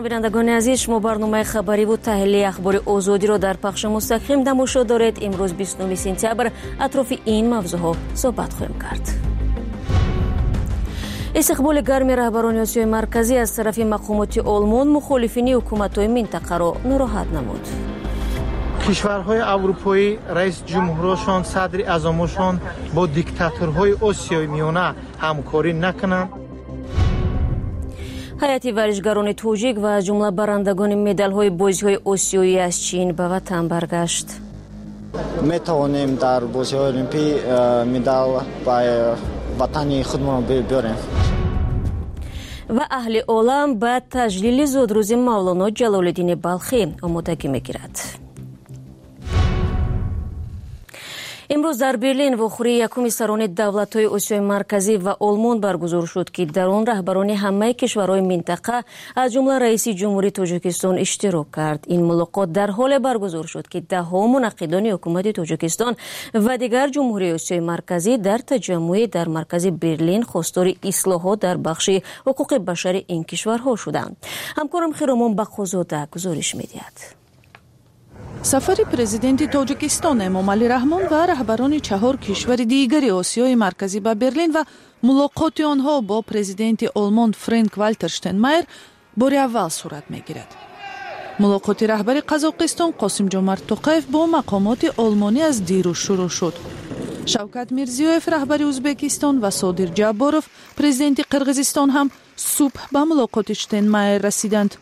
Салом, бинандагони азиз, шумо барномаи хабариву таҳлилии Ахбори Озодиро дар пахши мустақим тамошо доред. Имрӯз 29 сентябр атрофи ин мавзӯъҳо суҳбат хоҳем кард. Истиқболи гарми раҳбарони Осиёи Марказӣ аз тарафи мақомоти Олмон мухолифини ҳукуматҳои минтақаро нороҳат намуд. Кишварҳои аврупоӣ раиси ҷумҳурашон, садри аъзомошон бо диктаторҳои Осиёи Миёна ҳамкорӣ накунанд. Ҳайати варзишгарони тоҷик ва аз ҷумла барандагони медалҳои бозиҳои осиёӣ аз Чин ба ватан баргашт. Метавонем дар бозиҳои олимпӣ медал ба ватани худмон биёрем. Ва аҳли олам ба таҷлили зодрӯзи Мавлоно Ҷалолиддини Балхӣ омодагӣ мегирад. Имрӯз дар Берлин вохӯрии якуми сарони давлатҳои Осиёи Марказӣ ва Олмон баргузор шуд, ки дар он раҳбарони ҳамаи кишварҳои минтақа, аз ҷумла раиси ҷумҳурии Тоҷикистон иштирок кард. Ин мулоқот дар ҳоле баргузор шуд, ки даҳҳо мунаққидони ҳукумати Тоҷикистон ва дигар ҷумҳурии Осиёи Марказӣ дар таҷаммӯе дар маркази Берлин хостори ислоҳот дар бахши ҳуқуқи башари ин кишварҳо шуданд. Ҳамкорам Хиромон Бақозода гузориш медиҳад. Сафари президенти Тоҷикистон Эмомалӣ Раҳмон ва раҳбарони чаҳор кишвари дигари Осиёи Марказӣ ба Берлин ва мулоқоти онҳо бо президенти Олмон Френк Валтер Штенмайер бори аввал сурат мегирад. Мулоқоти раҳбари Қазоқистон Қосимҷомарт Тоқаев бо мақомоти олмонӣ аз дирӯз шурӯъ шуд. Шавкат Мирзиёев, раҳбари Ӯзбекистон, ва Содир Ҷабборов, президенти Қирғизистон, ҳам субҳ ба мулоқоти Штенмайер расиданд.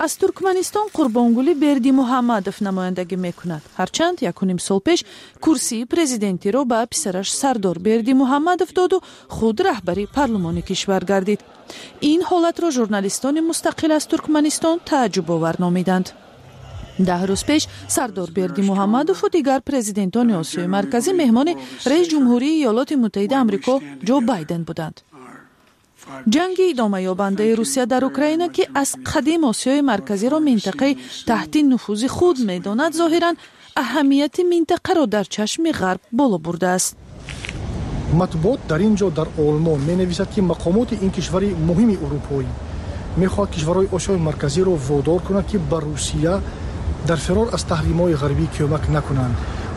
Аз Туркманистон Қурбонгулӣ Бердимуҳаммадов намояндагӣ мекунад. Ҳарчанд якуним сол пеш курсии президентиро ба писараш Сардор Бердимуҳаммадов доду худ раҳбари парлумони кишвар гардид. Ин ҳолатро журналистони мустақил аз Туркманистон тааҷҷубовар номиданд. 10 рӯз пеш Сардор Бердимуҳаммадову дигар президентони Осиёи Марказӣ меҳмони раис ҷумҳурии Иёлоти Муттаҳида Амрико Ҷо Байден буданд. Ҷанги идомаёбандаи Русия дар Украина, ки аз қадим Осиёи Марказиро минтақаи таҳти нуфузи худ медонад, зоҳиран аҳамияти минтақаро дар чашми Ғарб боло бурдааст. Матбуот дар ин ҷо дар Олмон менависад, ки мақомоти ин кишвари муҳими урупоӣ мехоҳад кишварҳои Осиёи Марказиро водор кунад, ки ба Русия дар фирор аз таҳримҳои ғарбӣ кӯмак накунанд.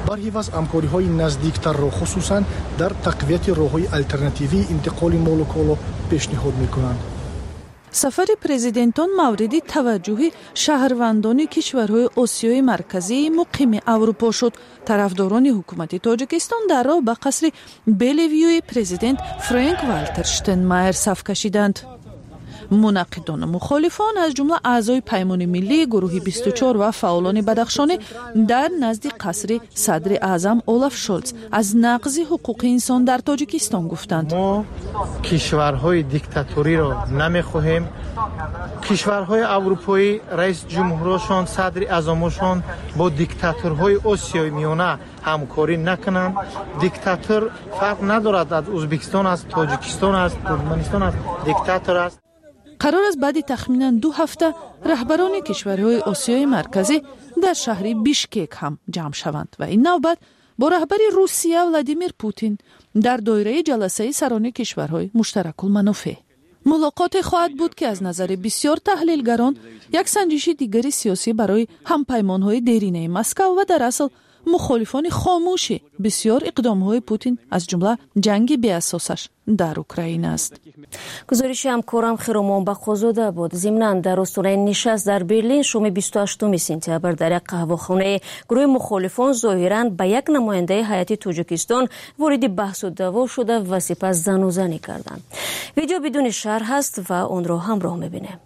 Барҳи ваз ҳамкориҳои наздиктарро, хусусан дар тақвияти роҳҳои алтернативии интиқоли молу коло пешниҳод мекунанд. Сафари президентон мавриди таваҷҷӯҳи шаҳрвандони кишварҳои Осиёи Марказии муқими Аврупо шуд. Тарафдорони ҳукумати Тоҷикистон дар роҳ ба қасри Белевюи президент Френк Валтер Штенмайер саф кашиданд. Мунаққидону мухолифон, аз ҷумла аъзои Паймони миллӣ, гурӯҳи 24 ва фаъолони бадахшонӣ, дар назди қасри садри аъзам Олаф Шолц аз нақзи ҳуқуқи инсон дар Тоҷикистон гуфтанд. Мо кишварҳои диктаториро намехоҳем. Кишварҳои аврупоӣ раиси ҷумҳурашон, садри аъзомошон бо диктаторҳои Осиёи Миёна ҳамкорӣ накунанд. Диктатор фарқ надорад, аз Ӯзбекистон аст, Тоҷикистон аст, Туркманистон аст, диктатор аст. Қарор аст баъди тахминан 2 ҳафта раҳбарони кишварҳои Осиёи Марказӣ дар шаҳри Бишкек ҳам ҷамъ шаванд ва ин навбат бо раҳбари Русия Владимир Путин дар доираи ҷаласаи сарони кишварҳои муштаракулманофеъ. Мулоқоте хоҳад буд, ки аз назари бисёр таҳлилгарон як санҷиши дигари сиёсӣ барои ҳампаймонҳои деринаи Москав ва дар асл мухолифони хомӯши бисёр иқдомҳои Путин, аз ҷумла ҷанги беасосаш дар Украина аст. Гузориши ҳамкорам Хиромон Бақозода буд. Зимнан дар остонаи нишаст дар Берлин шоми 28 сентябр дар як қаҳвахонаи гурӯҳи мухолифон зоҳиран ба як намояндаи ҳайати Тоҷикистон вориди баҳсу даъво шуда ва сипас занузанӣ карданд. Видео бидуни шарҳ аст ва онро ҳамроҳ мебинем.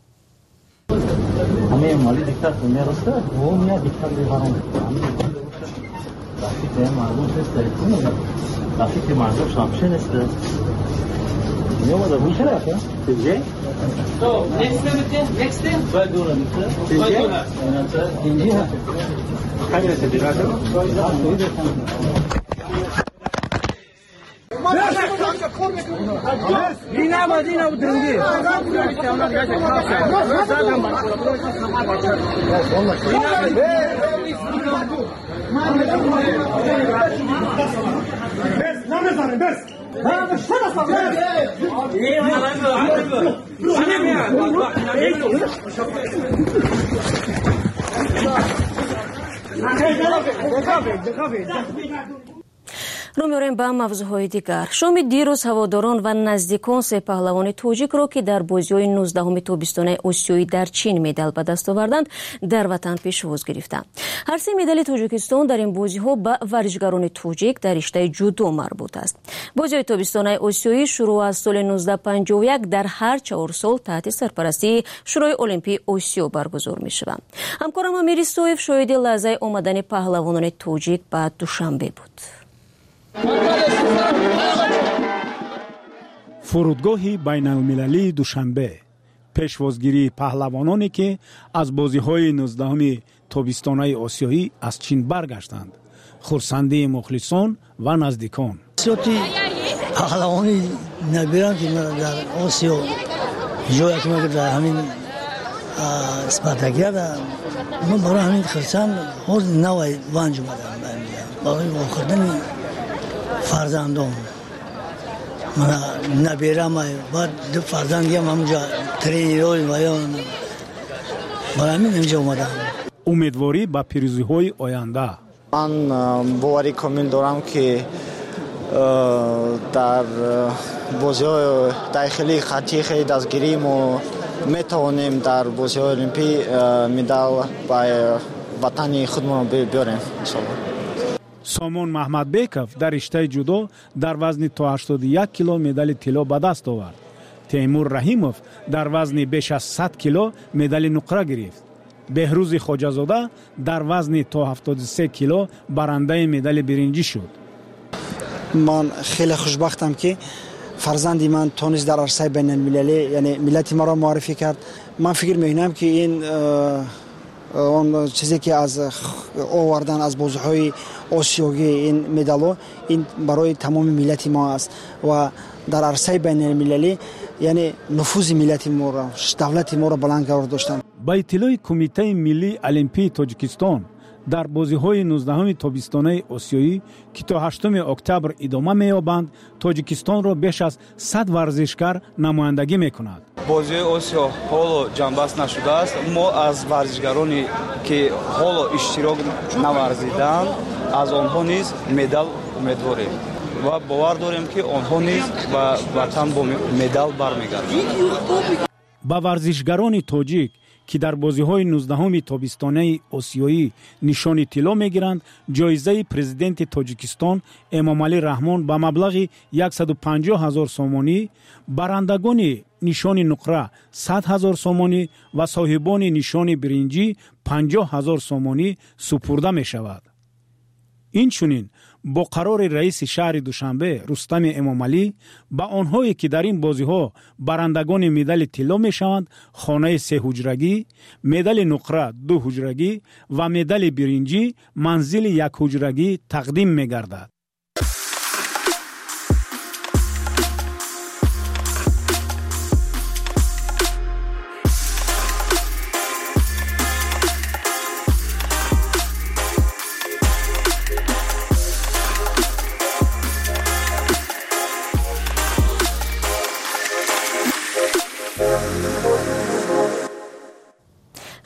Рӯ меорем ба мавзӯъҳои дигар. Шоми дирӯз ҳаводорон ва наздикон се паҳлавони тоҷикро, ки дар бозиҳои 19-уми тобистонаи Осиёӣ дар Чин медал ба даст оварданд, дар ватан пешвоз гирифтанд. Ҳар се медали Тоҷикистон дар ин бозиҳо ба варзишгарони тоҷик дар риштаи ҷудо марбут аст. Бозиҳои тобистонаи Осиёӣ шурӯъ аз соли 1951 дар ҳар 4 сол таҳти сарпарастии Шӯрои Олимпии Осиё баргузор мешаванд. Ҳамкорам Амир Исоев шоҳиди лаҳзаи омадани паҳлавонони тоҷик ба Душанбе буд. Фурудгоҳи байналмилалии Душанбе, пешвозгирии паҳлавононе, ки аз бозиҳои 19-уми тобистонаи осиёӣ аз Чин баргаштанд, хурсандии мухлисон ва наздикон. Сиёти паҳлавони набирам, ки дар Осиё ҷоя ки дар ҳамин спартакиада, ман барои ҳамин хурсанд ҳозир навай ванҷ омадам барои вохӯрдани фарзандон. Мана наберамай, баъд ду фарзандиам ҳамунҷа тренерҳои ваён, барои ҳамин инҷа омадам. Умедворӣ ба пирӯзиҳои оянда. Ман боварӣ комил дорам, ки дар бозиҳои дохилии хаттии хеле дастгирӣ мо метавонем дар бозиҳои олимпӣ медал ба ватани худмон биёрем, иншоалло. Сомон Маҳмадбеков дар риштаи ҷудо дар вазни то 81 кило медали тилло ба даст овард. Темур Раҳимов дар вазни беш аз 100 кило медали нуқра гирифт. Беҳрӯзи Хоҷазода дар вазни то 73 кило барандаи медали биринҷӣ шуд. Ман хеле хушбахтам, ки фарзанди ман тонист дар арсаи байналмилалӣ, яъне миллати маро муаррифӣ кард. Ман фикр мекунам, ки ин он чизе, ки аз овардан аз бозиҳои осиёгӣ ин медалҳо, ин барои тамоми миллати мо аст ва дар арсаи байналмилалӣ, яъне нуфузи миллати моро, давлати моро баланд қарор доштанд. Ба иттилои Кумитаи миллии олимпии Тоҷикистон, дар бозиҳои 19-уми тобистонаи осиёӣ, ки то 8 октябр идома меёбанд, Тоҷикистонро беш аз 100 варзишгар намояндагӣ мекунад. Бозиҳои Осиё ҳоло ҷанбаст нашудааст. Мо аз варзишгароне, ки ҳоло иштирок наварзидаанд, аз онҳо низ медал умедворем ва бовар дорем, ки онҳо низ ба ватан бо медал бармегарданд. Ба варзишгарони тоҷик, ки дар бозиҳои 19-уми тобистонаи осиёӣ нишони тилло мегиранд, ҷоизаи президенти Тоҷикистон Эмомалӣ Раҳмон ба маблағи 150 000 сомонӣ, барандагони нишони нуқра 100 000 сомонӣ ва соҳибони нишони биринҷӣ 50 000 сомонӣ супурда мешавад. Инчунин бо қарори раиси шаҳри Душанбе Рустами Эмомалӣ ба онҳое, ки дар ин бозиҳо барандагони медали тилло мешаванд, хонаи сеҳуҷрагӣ, медали нуқра дуҳуҷрагӣ ва медали биринҷӣ манзили якҳуҷрагӣ тақдим мегардад.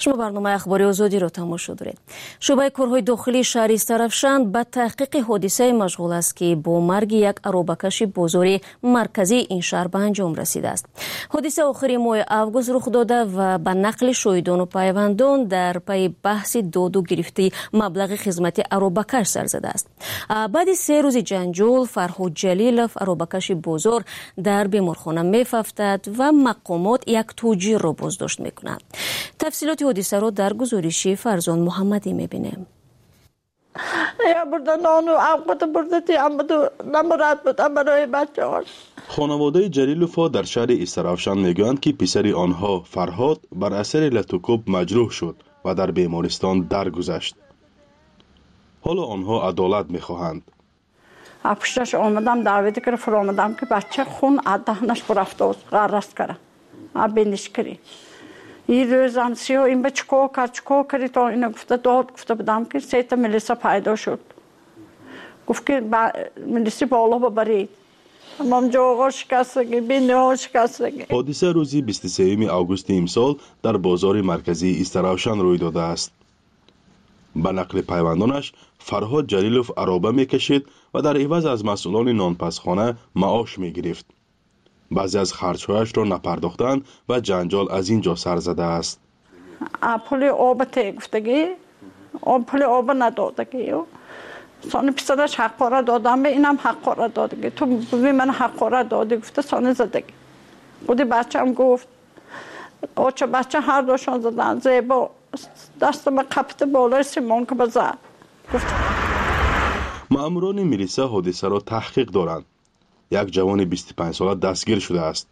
Шумо барномаи Ахбори Озодиро тамошо доред. Шӯъбаи корҳои дохилии шаҳри Истаравшан ба таҳқиқи ҳодисае машғул аст, ки бо марги як аробакаши бозори марказии ин шаҳр ба анҷом расидааст. Ҳодиса охири моҳи август рух дода ва ба нақли шоҳидону пайвандон дар пайи баҳси доду гирифти маблағи хизмати аробакаш сар задааст. Баъди 3 рӯзи ҷанҷол Фарҳод Ҷалилов, аробакаши бозор, дар беморхона мефафтад ва мақомот як тоҷирро боздошт мекунанд. Тафсилоти ҳодисаро дар гузориши Фарзон Муҳаммадӣ мебинем. Хонаводаи Ҷалиловҳо дар шаҳри Истаравшан мегӯянд, ки писари онҳо Фарҳод бар асари латукӯб маҷрӯҳ шуд ва дар бемористон даргузашт. Ҳоло онҳо адолат мехоҳанд. Пушташ омадам, даъвати кара фуромадам, ки бача хун аз даҳнаш бурафтоз, ғарраст кара, биниш кири. Ин рӯзам сиё ин ба чикор кард, чикор карди, то ина гуфта дод гуфта будам, ки сета милиса пайдо шуд. Гуфт, ки милиси боло бабаред. Ҳамам ҷоғо шикастагӣ, биниҳо шикастагӣ. Ҳодиса рӯзи 23 августи имсол дар бозори марказии Истаравшан рӯй додааст. Ба нақли пайвандонаш, Фарҳод Ҷалилов ароба мекашид ва дар иваз аз масъулони нонпазхона маош мегирифт. Баъзе аз харҷҳояшро напардохтанд ва ҷанҷол аз ин ҷо сар задааст. Пули оба те гуфтагӣ, пули оба надодагӣ. Сони писараш ҳаққора додам, инам ҳаққора додагӣ. Ту буви ман ҳаққора додӣ гуфта, сони задагӣ. Худи бачам гуфт, оча бача ҳар душон задан, зебо дастама қапида болои симонка базад. Гуфт. Маъмурони милиса ҳодисаро таҳқиқ доранд. Як ҷавони 25-сола дастгир шудааст.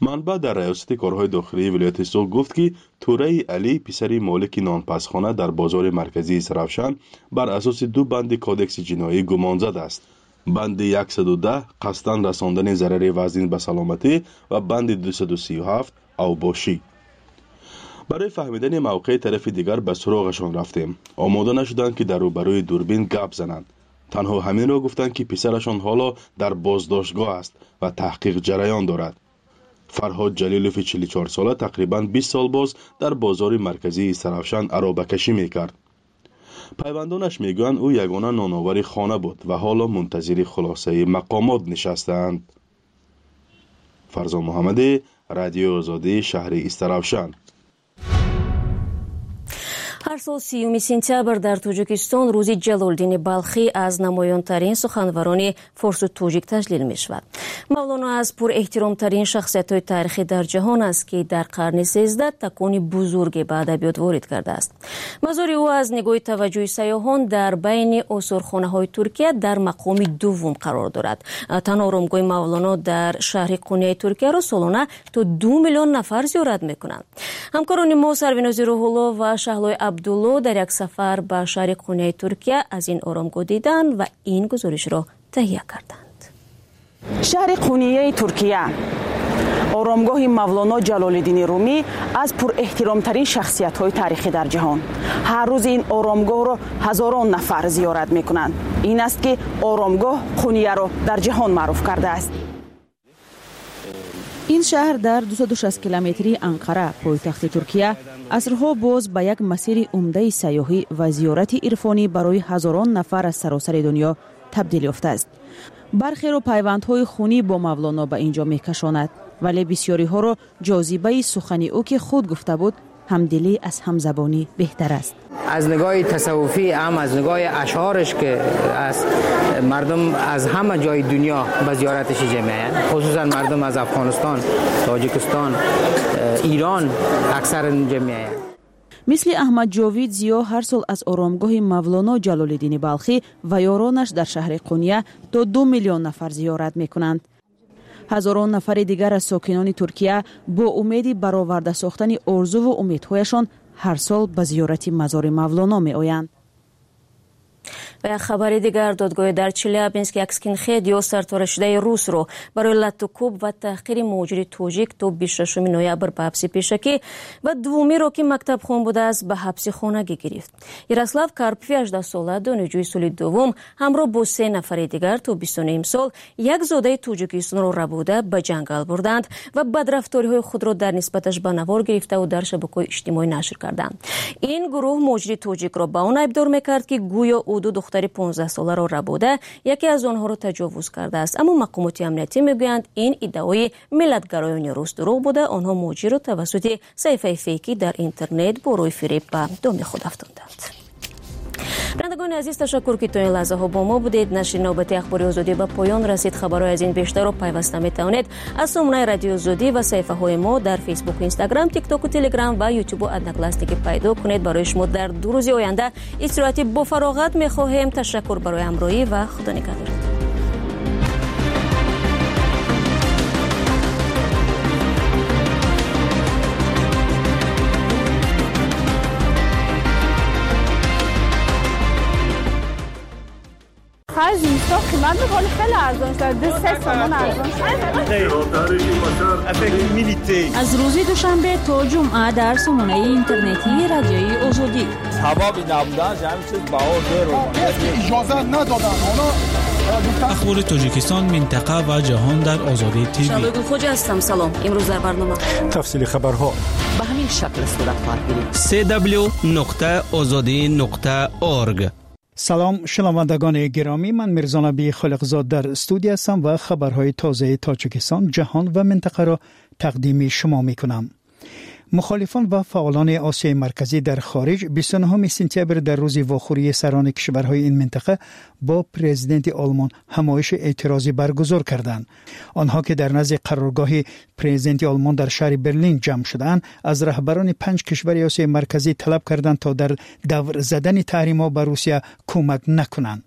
Манбаъ дар раёсати корҳои дохилии вилояти Суғд гуфт, ки Тураи Алӣ, писари молики нонпазхона дар бозори марказии Истаравшан, бар асоси ду банди кодекси ҷиноӣ гумонзад аст. Банди 110 қасдан расондани зарари вазнин ба саломатӣ ва банди 237 авбошӣ. Барои фаҳмидани мавқеи тарафи дигар ба суроғашон рафтем. Омода нашуданд, ки дар рӯбарӯи дурбин гап зананд. Танҳо ҳаминро гуфтанд, ки писарашон ҳоло дар боздоштгоҳ аст ва таҳқиқ ҷараён дорад. Фарҳод Ҷалилови 44-сола тақрибан 20 сол боз дар бозори марказии Истаравшан аробакашӣ мекард. Пайвандонаш мегӯянд, ӯ ягона ноновари хона буд ва ҳоло мунтазири хулосаи мақомот нишастаанд. Фарзон Муҳаммадӣ, Радиои Озодӣ, шаҳри Истаравшан. Ҳар сол 30 сентябр дар Тоҷикистон рӯзи Ҷалолиддини Балхӣ аз намоёнтарин суханварони форсу тоҷик таҷлил мешавад. Мавлоно аз пурэҳтиромтарин шахсиятҳои таърихӣ дар ҷаҳон аст, ки дар қарни 13 такони бузурге ба адабиёт ворид кардааст. Мазори ӯ аз нигоҳи таваҷҷӯҳи сайёҳон дар байни осорхонаҳои Туркия дар мақоми дуввум қарор дорад. Танҳо оромгоҳи Мавлоно дар шаҳри Қуняи Туркияро солона то 2 миллион нафар зиёрат мекунанд. Ҳамкорони мо Сарвинози Рӯҳулло ва Шаҳлои Абдулло дар як сафар ба шаҳри Қуняи Туркия аз ин оромгоҳ диданд ва ин гузоришро таҳия карданд. Шаҳри Қунияи Туркия, оромгоҳи Мавлоно Ҷалолиддини Румӣ аз пурэҳтиромтарин шахсиятҳои таърихӣ дар ҷаҳон. Ҳар рӯз ин оромгоҳро ҳазорон нафар зиёрат мекунанд. Ин аст, ки оромгоҳ Қунияро дар ҷаҳон маъруф кардааст. Ин шаҳр дар 260 километрии Анқара, пойтахти Туркия, асрҳо боз ба як масири умдаи сайёҳӣ ва зиёрати ирфонӣ барои ҳазорон нафар аз саросари дунё табдил ёфтааст. Бархеро пайвандҳои хунӣ бо Мавлоно ба ин ҷо мекашонад, вале бисёриҳоро ҷозибаи сухани ӯ, ки худ гуфта буд, ҳамдилӣ аз ҳамзабонӣ беҳтар аст. Аз нигоҳи тасаввуфӣ ҳам аз нигоҳи ашъораш, ки аз мардум аз ҳама ҷои дунё ба зиёраташ ҷамъ меоянд, хусусан мардум аз Афғонистон, Тоҷикистон, Эрон аксар ҷамъ меоянд. Мисли Аҳмад Ҷовид Зиё, ҳар сол аз оромгоҳи Мавлоно Ҷалолиддини Балхӣ ва ёронаш дар шаҳри Қуния то 2 миллион нафар зиёрат мекунанд. Ҳазорон нафари дигар аз сокинони Туркия бо умеди бароварда сохтани орзуву умедҳояшон ҳар сол ба зиёрати мазори Мавлоно меоянд. Ва як хабари дигар: додгоҳи дар Челябинск як скинхед ё сарторашидаи русро барои латтукӯб ва таҳқири муҳоҷири тоҷик то 26 ноябр ба ҳабси пешакӣ ва дуввумиро, ки мактабхон будааст, ба ҳабси хонагӣ гирифт. Ярослав Карпови 18-сола, донишҷӯи соли дуввум, ҳамроҳ бо се нафари дигар то 29 имсол як зодаи Тоҷикистонро рабуда ба ҷангал бурданд ва бадрафториҳои худро дар нисбаташ ба навор гирифтаву дар шабакаҳои иҷтимоӣ нашр карданд. Ин гурӯҳ муҳоҷири тоҷикро ба он айбдор мекард, ки гӯё ӯ ду духтари 15-соларо рабуда, яке аз онҳоро таҷовуз кардааст. Аммо мақомоти амниятӣ мегӯянд, ин иддаои миллатгароёни рус дурӯғ буда, онҳо муҳоҷирро тавассути саҳифаи фейкӣ дар интернет бо рӯи фиреб ба доми худ афтонданд. Бинандагони азиз, ташаккур, ки то ин лаҳзаҳо бо мо будед. Нашри навбати Ахбори Озодӣ ба поён расид. Хабарҳои аз ин бештарро пайваста метавонед аз сомонаи Радиои Озодӣ ва саҳифаҳои мо дар Фейсбуку, Инстаграм, Тиктоку, Телеграм ва Ютубу Одноклассники пайдо кунед. Барои шумо дар 2 рӯзи оянда истироҳати бофароғат мехоҳем. Ташаккур барои ҳамроҳӣ ва Худо нигаҳдор. Зимистон қимат буд, ҳоли хеле арзон шуд, 2-3 сомон арзон шуд. Аз рӯзи душанбе то ҷумъа дар сомонаи интернетии Радиои Озодӣ. Сабаби набуданаш ҳамин чиз баҳо дер. Иҷозат надоданд онҳо. Ахбори Тоҷикистон, минтақа ва ҷаҳон дар Озодӣ ТВ. Шаҳлои Гулхоҷа ҳастам. Салом. Имрӯз дар барнома тафсили хабарҳо ба ҳамин шакл сурат хоҳад гирифт. cw.ozodi.org. Салом, шунавандагони гиромӣ. Ман Мирзонаби Холиқзод дар студия ҳастам ва хабарҳои тозаи Тоҷикистон, ҷаҳон ва минтақаро тақдими шумо мекунам. Мухолифон ва фаъолони Осиёи Марказӣ дар хориҷ 29 сентябр дар рӯзи вохӯрии сарони кишварҳои ин минтақа бо президенти Олмон ҳамоиши эътирозӣ баргузор карданд. Онҳо ки дар назди қароргоҳи президенти Олмон дар шаҳри Берлин ҷамъ шудаанд, аз раҳбарони панҷ кишвари Осиёи Марказӣ талаб карданд, то дар давр задани таҳримҳо ба Русия кӯмак накунанд.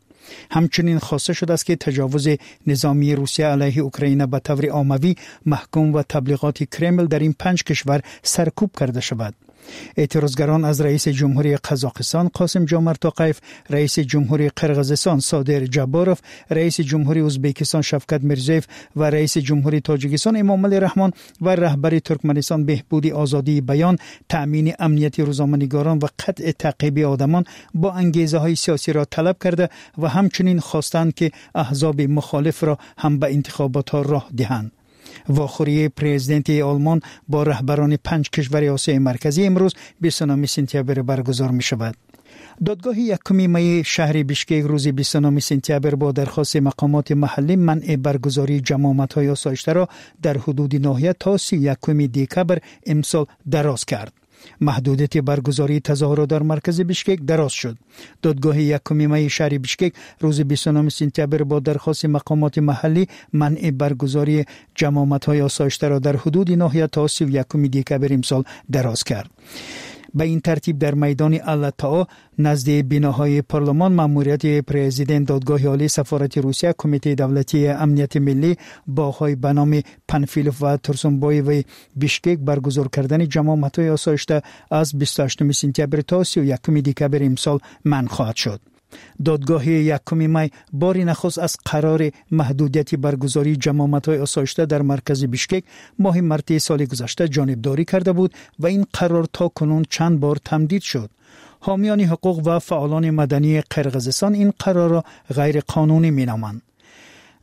Ҳамчунин хоста шудааст, ки таҷовузи низомии Русия алайҳи Украина ба таври оммавӣ маҳкум ва таблиғоти Кремл дар ин панҷ кишвар саркӯб карда шавад. Эътирозгарон аз раиси ҷумҳурии Қазоқистон Қосим Ҷомарт Тоқаев, раиси ҷумҳурии Қирғизистон Содир Ҷабборов, раиси ҷумҳурии Ӯзбекистон Шавкат Мирзиёев ва раиси ҷумҳурии Тоҷикистон Эмомалӣ Раҳмон ва раҳбари Туркманистон беҳбуди озодии баён, таъмини амнияти рӯзноманигорон ва қатъи таъқиби одамон бо ангезаҳои сиёсиро талаб карда ва ҳамчунин хостанд, ки аҳзоби мухолифро ҳам ба интихоботҳо роҳ диҳанд. Вохӯрии президенти Олмон бо раҳбарони панҷ кишвари Осиёи Марказӣ имрӯз 29 сентябр баргузор мешавад. Додгоҳи якуми майи шаҳри Бишкек рӯзи 29 сентябр бо дархости мақомоти маҳаллӣ манъи баргузории ҷамоатҳои осоиштаро дар ҳудуди ноҳия то 31 декабр имсол дароз кард. Маҳдудияти баргузории тазоҳурот дар маркази Бишкек дароз шуд. Додгоҳи якуми майи шаҳри Бишкек рӯзи 29 сентябр бо дархости мақомоти маҳаллӣ манъи баргузории ҷамоатҳои осоиштаро дар ҳудуди ноҳия то 31 декабр имсол дароз кард. Ба ин тартиб, дар майдони Аллатао назди биноҳои парлумон, маъмурияти президент, Додгоҳи олӣ, сафорати Русия, Кумитаи давлатии амнияти миллӣ, боғҳои ба номи Панфилов ва Турсунбоеви Бишкек баргузор кардани ҷамоатҳои осоишта аз 28 сентябр то 31 декабр имсол манъ хоҳад шуд. Додгоҳи якуми май бори нахуст аз қарори маҳдудияти баргузории ҷамоатҳои осоишта дар маркази Бишкек моҳи марти соли гузашта ҷонибдорӣ карда буд ва ин қарор то кунун чанд бор тамдид шуд. Ҳомиёни ҳуқуқ ва фаъолони мадании Қирғизистон ин қарорро ғайриқонунӣ меноманд.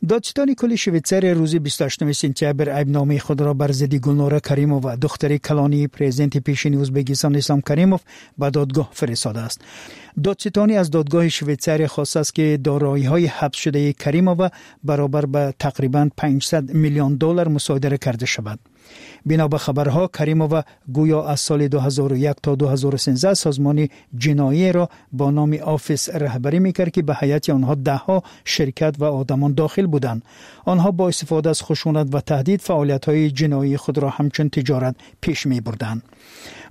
Додситони кулли Швейтсария рӯзи 28 сентябр айбномаи худро бар зидди Гулнора Каримова, духтари калонии президенти пешини Ӯзбекистон Ислом Каримов, ба додгоҳ фиристодааст. Додситонӣ аз додгоҳи Швейтсария хостааст, ки дороиҳои ҳабсшудаи Каримова баробар ба тақрибан 500 миллион доллар мусодира карда шавад. Бино ба хабарҳо, Каримова гӯё аз соли 2001 то 2013 созмони ҷиноиеро бо номи Офис раҳбарӣ мекард, ки ба ҳайати онҳо даҳҳо ширкат ва одамон дохил буданд. Онҳо бо истифода аз хушунат ва таҳдид фаъолиятҳои ҷиноии худро ҳамчун тиҷорат пеш мебурданд.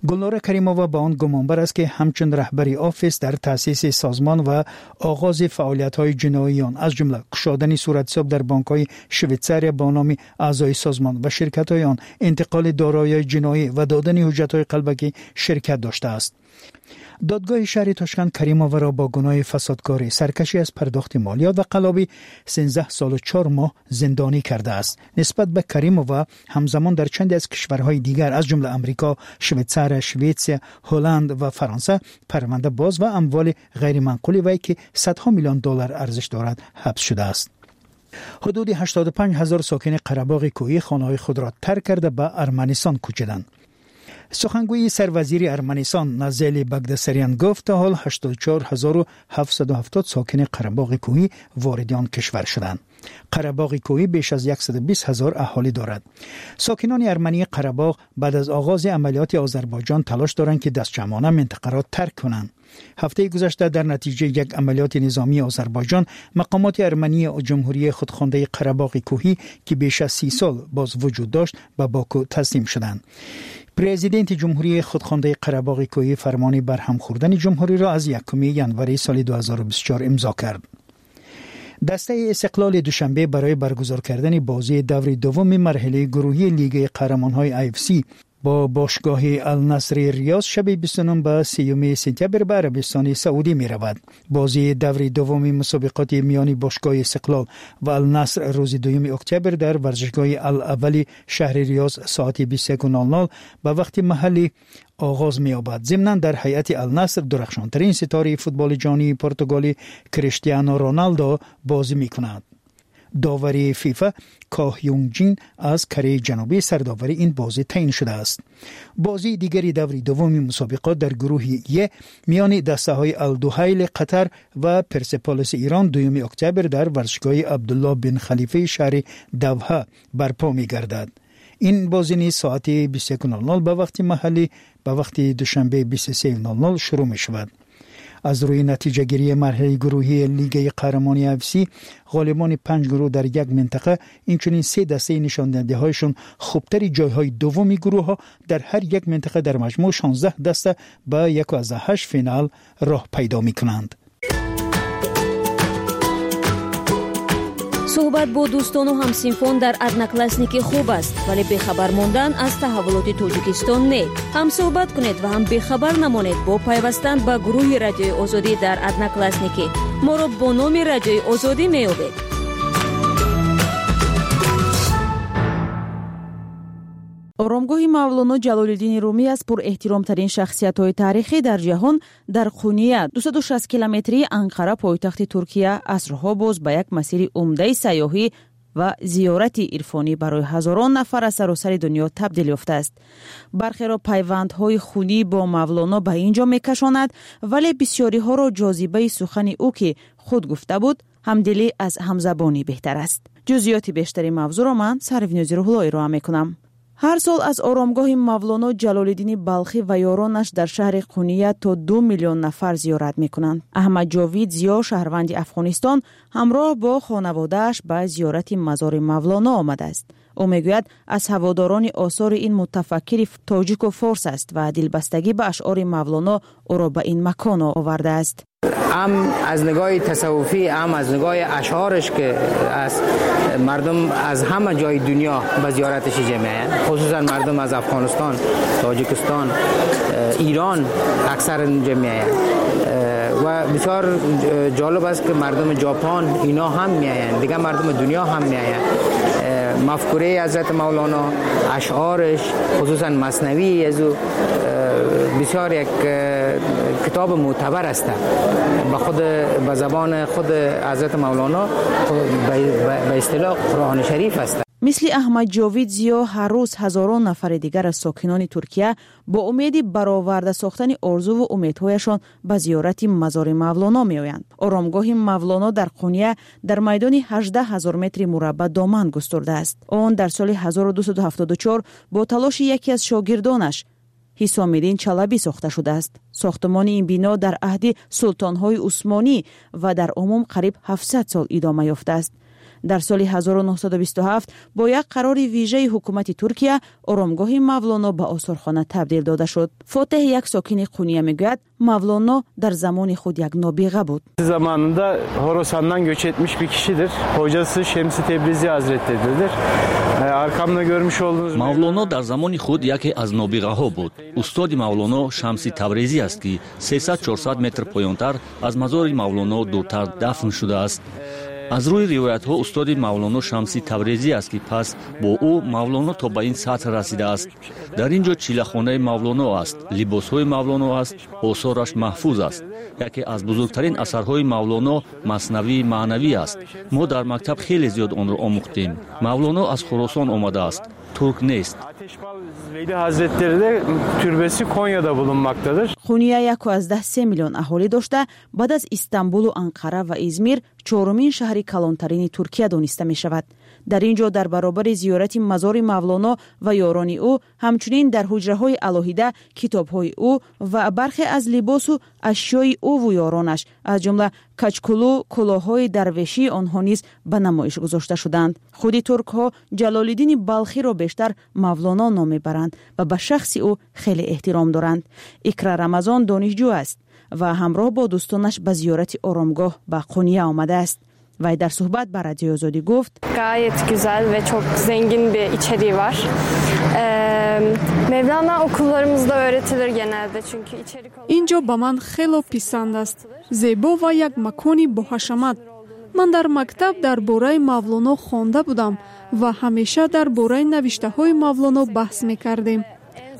Гулнора Каримова ба он гумонбар аст, ки ҳамчун раҳбари Офис дар таъсиси созмон ва оғози фаъолиятҳои ҷиноии он, аз ҷумла кушодани суратҳисоб дар бонкҳои Швейтсария бо номи аъзои созмон ва ширкатҳои он, интиқоли дороиҳои ҷиноӣ ва додани ҳуҷҷатҳои қалбакӣ ширкат доштааст. Додгоҳи шаҳри Тошканд Каримоваро бо гуноҳи фасодкорӣ, саркашӣ аз пардохти молиёт ва қаллобӣ 13 солу 4 моҳ зиндонӣ кардааст. Нисбат ба Каримова ҳамзамон дар чанде аз кишварҳои дигар, аз ҷумла Амрико, Швейтсария, Шветсия, Ҳолланд ва Фаронса парванда боз ва амволи ғайриманқули вай, ки садҳо миллион доллар арзиш дорад, ҳабс шудааст. Ҳудуди 85 ҳазор сокини Қарабоғи Кӯҳӣ хонаҳои худро тарк карда, ба Арманистон кӯчиданд. Сухангӯи сарвазири Арманистон Назели Багдасарян гуфт, то ҳол 84 770 сокини Қарабоғи Кӯҳӣ вориди он кишвар шуданд. Қарабоғи Кӯҳӣ беш аз 120 ҳазор аҳолӣ дорад. Сокинони армании Қарабоғ баъд аз оғози амалиёти Озарбойҷон талош доранд, ки дастҷамъона минтақаро тарк кунанд. Ҳафтаи гузашта дар натиҷаи як амалиёти низомии Озарбойҷон мақомоти армании ҷумҳурии худхондаи Қарабоғи Кӯҳӣ, ки беш аз 30 сол боз вуҷуд дошт, ба Боку таслим шуданд. Президенти ҷумҳурии худхондаи Қарабоғи Кӯҳӣ фармони барҳам хӯрдани ҷумҳуриро аз 1 январи соли 2024 имзо кард. Дастаи Истиқлоли Душанбе барои баргузор кардани бозии даври дуввуми марҳилаи гурӯҳии Лигаи қаҳрамонҳои AFC бо бошгоҳи Алнасри Риёз шаби 29 ба 30 сентябр ба Арабистони Саудӣ меравад. Бозии даври дуввуми мусобиқоти миёни бошгоҳи Истиқлол ва Алнаср рӯзи 2 октябр дар варзишгоҳи Ал-Аввали шаҳри Риёз соати 21:00 ба вақти маҳаллӣ оғоз меёбад. Зимнан дар ҳайати Алнаср дурахшонтарин ситораи футболи ҷаҳонии португалӣ Криштиано Роналдо бозӣ мекунад. Довари ФИФА Коҳ Юнг-ҷин аз Кореяи Ҷанубӣ сардовари ин бозӣ таъин шудааст. Бозии дигари даври дуввуми мусобиқот дар гурӯҳи Е миёни дастаҳои Алдуҳайли Қатар ва Персеполиси Ирон 2 октябр дар варзишгоҳи Абдулло бин Халифаи шаҳри Давҳа барпо мегардад. Ин бозӣ низ соати 21:00 ба вақти маҳаллӣ ба вақти душанбе 23:00 шурӯъ мешавад. Аз рӯи натиҷагирии марҳилаи гурӯҳии Лигаи қаҳрамони AFC, ғолибони 5 гурӯҳ дар як минтақа, инчунин 3 дастаи нишондиҳандаҳояшон хубтари ҷойҳои дуввуми гурӯҳҳо дар ҳар як минтақа дар маҷмӯъ 16 даста ба 1,8 финал роҳ пайдо мекунанд. Суҳбат бо дӯстону ҳамсинфон дар Одноклассники хуб аст, вале бехабар мондан аз таҳаввулоти Тоҷикистон не. Ҳам суҳбат кунед ва ҳам бехабар намонед бо пайвастан ба гурӯҳи Радиои Озодӣ дар Одноклассники. Моро бо номи Радиои Озодӣ меёбед. Оромгоҳи Мавлоно Ҷалолиддини Румӣ аз пурэҳтиромтарин шахсиятҳои таърихӣ дар ҷаҳон дар Қуния, 260 километрии Анқара, пойтахти Туркия, асрҳо боз ба як масири умдаи сайёҳӣ ва зиёрати ирфонӣ барои ҳазорон нафар аз саросари дунё табдил ёфтааст. Бархеро пайвандҳои хунӣ бо Мавлоно ба ин ҷо мекашонад, вале бисёриҳоро ҷозибаи сухани ӯ, ки худ гуфта буд, ҳамдилӣ аз ҳамзабонӣ беҳтар аст. Ҷузъиёти бештари мавзӯъро ман Сарвинози Рӯҳулло ироа мекунам. Ҳар сол аз оромгоҳи Мавлоно Ҷалолиддини Балхӣ ва ёронаш дар шаҳри Қуния то 2 миллион нафар зиёрат мекунанд. Аҳмад Ҷовид Зиё, шаҳрванди Афғонистон, ҳамроҳ бо хонаводааш ба зиёрати мазори Мавлоно омадааст. Ӯ мегӯяд, аз ҳаводорони осори ин мутафаккири тоҷику форс аст ва дилбастагӣ ба ашъори Мавлоно ӯро ба ин макон овардааст. ҳам аз нигоҳи тасаввуфӣ, ҳам аз нигоҳи ашъораш, ки аз мардум аз ҳама ҷои дунё ба зиёраташ ҷамъ меоянд, хусусан мардум аз Афғонистон, Тоҷикистон, Эрон аксар инҷа меоянд ва бисёр ҷолиб аст, ки мардуми Ҷопон ино ҳам меоянд, дигар мардуми дунё ҳам меоянд. Мафкураи ҳазрат Мавлоно, ашъораш, хусусан маснавии аз ӯ бисёр як китоб мӯътабар аст. ба худ ба забони худ ҳазрат Мавлоно ба истилоҳ Қуръони Шариф аст. Мисли Аҳмад Ҷовид Зиё, ҳар рӯз ҳазорон нафари дигар аз сокинони Туркия бо умеди бароварда сохтани орзуву умедҳояшон ба зиёрати мазори Мавлоно меоянд. Оромгоҳи Мавлоно дар Қуния дар майдони 18 ҳазор метри мураббаъ доман густурдааст. Он дар соли 1274 бо талоши яке аз шогирдонаш Ҳисомиддин Чалабӣ сохта шудааст. Сохтмони ин бино дар аҳди султонҳои Усмонӣ ва дар умум қариб 700 сол идома ёфтааст. Дар соли 1927 бо як қарори вижаи ҳукумати Туркия оромгоҳи Мавлоно ба осорхона табдил дода шуд. Фотеҳ, як сокини Қуния, мегӯяд, Мавлоно дар замони худ як нобиға буд. Zamanında Horasan'dan göç etmiş bir kişidir. Hocası Şems-i Tebrizi Hazretleridir. Arkamda görmüş olduğunuz Мавлоно дар замони худ яке аз нобиғаҳо буд. Устоди Мавлоно Шамси Таврезӣ аст, ки 300-400 метр поёнтар аз мазори Мавлоно дуртар дафн шудааст. Аз рӯи ривоятҳо, устоди Мавлоно Шамси Таврезӣ аст, ки пас бо ӯ Мавлоно то ба ин сатҳ расидааст. Дар ин ҷо чилахонаи Мавлоно аст, либосҳои Мавлоно аст, осораш маҳфуз аст. Яке аз бузургтарин асарҳои Мавлоно Маснавии маънавӣ аст. Мо дар мактаб хеле зиёд онро омӯхтем. Мавлоно аз Хуросон омадааст, турк нест. Veli Hazretleri de türbesi Konya'da bulunmaktadır. Қуния 1,3 миллион аҳолӣ дошта, баъд аз Истанбулу Анқара ва Измир чорумин шаҳри калонтарини Туркия дониста мешавад. Дар ин ҷо дар баробари зиёрати мазори Мавлоно ва ёрони ӯ, ҳамчунин дар ҳуҷраҳои алоҳида китобҳои ӯ ва бархе аз либосу ашёи ӯву ёронаш, аз ҷумла качкулу кулоҳҳои дарвешии онҳо низ ба намоиш гузошта шуданд. Худи туркҳо Ҷалолиддини Балхиро бештар Мавлоно ном мебаранд ва ба шахси ӯ хеле эҳтиром доранд. Икра Рамазон донишҷӯ аст ва ҳамроҳ бо дӯстонаш ба зиёрати оромгоҳ ба Қуния омадааст. Вай дар суҳбат ба Радиои Озодӣ гуфт: Gayet güzel ve çok zengin bir içeriği var. Mevlana okullarımızda öğretilir genelde, çünkü içerik Ин ҷо ба ман хело писанд аст, зебо ва як макони боҳашамат. Ман дар мактаб дар бораи Мавлоно хонда будам ва ҳамеша дар бораи навиштаҳои Мавлоно баҳс мекардем.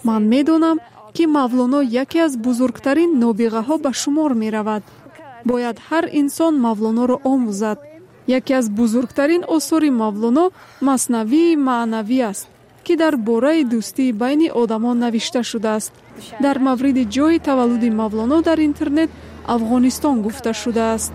Ман медонам, Ки Мавлоно яке аз бузургтарин нобиғаҳо ба шумор меравад. Бояд ҳар инсон Мавлоноро омӯзад. Яке аз бузургтарин осори Мавлоно Маснавии маънавӣ аст, ки дар бораи дӯстии байни одамон навишта шудааст. Дар мавриди ҷойи таваллуди Мавлоно дар интернет Афғонистон гуфта шудааст.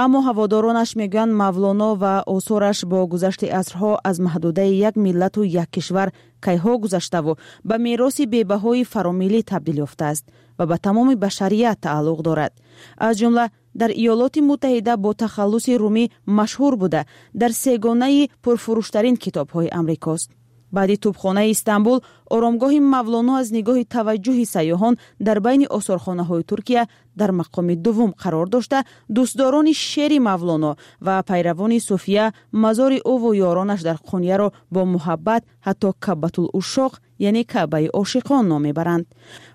Аммо ҳаводоронаш мегӯянд, Мавлоно ва осораш бо гузашти асрҳо аз маҳдудаи як миллату як кишвар кайҳо гузаштаву ба мероси бебаҳои фаромиллӣ табдил ёфтааст ва ба тамоми башарият тааллуқ дорад. Аз ҷумла дар Иёлоти Муттаҳида бо тахаллуси Румӣ машҳур буда, дар сегонаи пурфурӯштарин китобҳои амрикост. Баъди тӯбхонаи Истанбул, оромгоҳи Мавлоно аз нигоҳи таваҷҷӯҳи сайёҳон дар байни осорхонаҳои Туркия дар мақоми дуввум қарор дошта, дӯстдорони шеъри Мавлоно ва пайравони суфия мазори ӯву ёронаш дар Қунияро бо муҳаббат ҳатто Кабатул Ушоқ, яъне Каъбаи ошиқон ном мебаранд.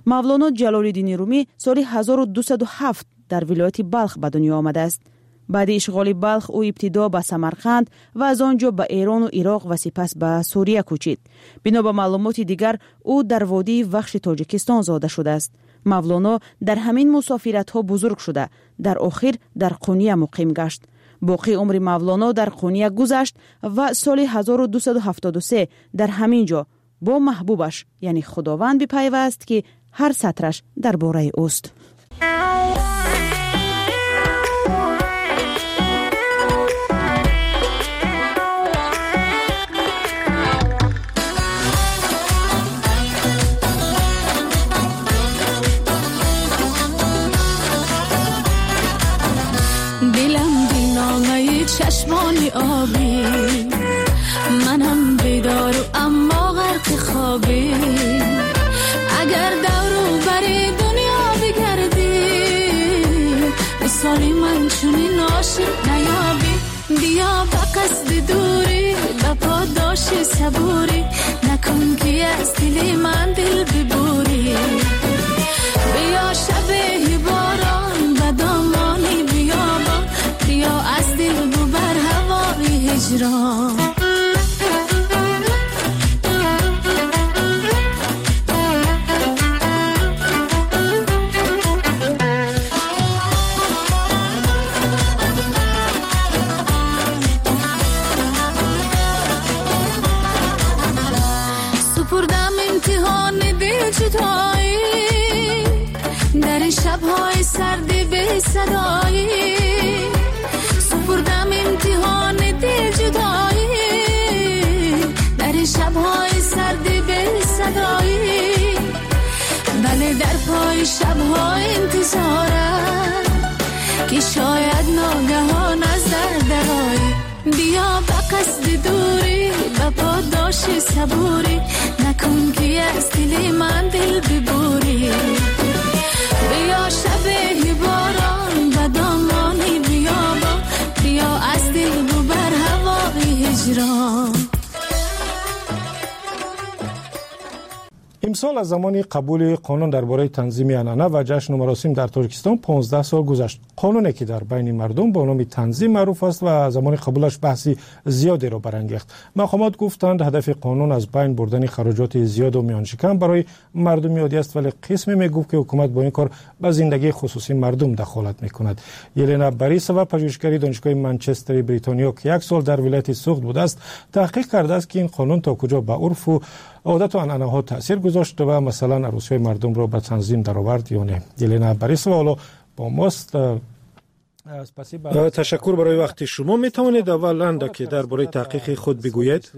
Мавлоно Ҷалолиддини Румӣ соли 1207 дар вилояти Балх ба дунё омадааст. Баъди ишғоли Балх ӯ ибтидо ба Самарқанд ва аз он ҷо ба Эрону Ироқ ва сипас ба Сурия кӯчид. Бино ба маълумоти дигар, ӯ дар водии Вахши Тоҷикистон зода шудааст. Мавлоно дар ҳамин мусофиратҳо бузург шуда, дар охир дар Қуния муқим гашт. Боқии умри Мавлоно дар Қуния гузашт ва соли 1273 дар ҳамин ҷо бо маҳбубаш, яъне Худованд, бипайваст, ки ҳар сатраш дар бораи ӯст. چشمانی آبی، منم بیدار و اما غرق خوابی. اگر دور و بر دنیا بگردی، مثال من چنین عاشق نیابی. بیا به قصد دوری، به پاداش صبوری، نکن که از دل من دل ببوری. بیا شب باران به دامانی بیابان، بیا از دل ببر هوای هجران. سپردم امتحان دل جدایی، در این شب‌های سرد بی صدایی. سپردم امتحان دل جدایی، در این شب‌های سرد بی صدایی. بله در پای شب‌های انتظارم که شاید ناگهان از در درایی. بیا به قصد دوری، به پاداش صبوری، نکن که از دل من دل ببوری. بیا شب باران به دامانی بیابان، بیا از دل ببر هوای هجران. Имсол аз замони қабули қонун дар бораи танзими анъана ва ҷашну маросим дар Тоҷикистон 15 сол гузашт. Қонуне ки дар байни мардум бо номи танзим маъруф аст ва замони қабулаш баҳси зиёдеро барангехт. Мақомот гуфтанд, ҳадафи қонун аз байн бурдани хароҷоти зиёду миёншикан барои мардуми оддӣ аст, вале қисме мегуфт, ки ҳукумат бо ин кор ба зиндагии хусусии мардум дахолат мекунад. Елена Борисова, пажӯҳишгари Донишгоҳи Манчестери Бритониё, ки як сол дар вилояти Суғд будааст, таҳқиқ кардааст, ки ин қонун то куҷо ба урфу одату анъанаҳо таъсир гузошт ва масалан арӯсиҳои мардумро ба танзим даровард ё не. Елена Борисова ҳоло бо мост. Ташаккур барои вақти шумо. Метавонед аввал андаке дар бораи таҳқиқи худ бигӯед?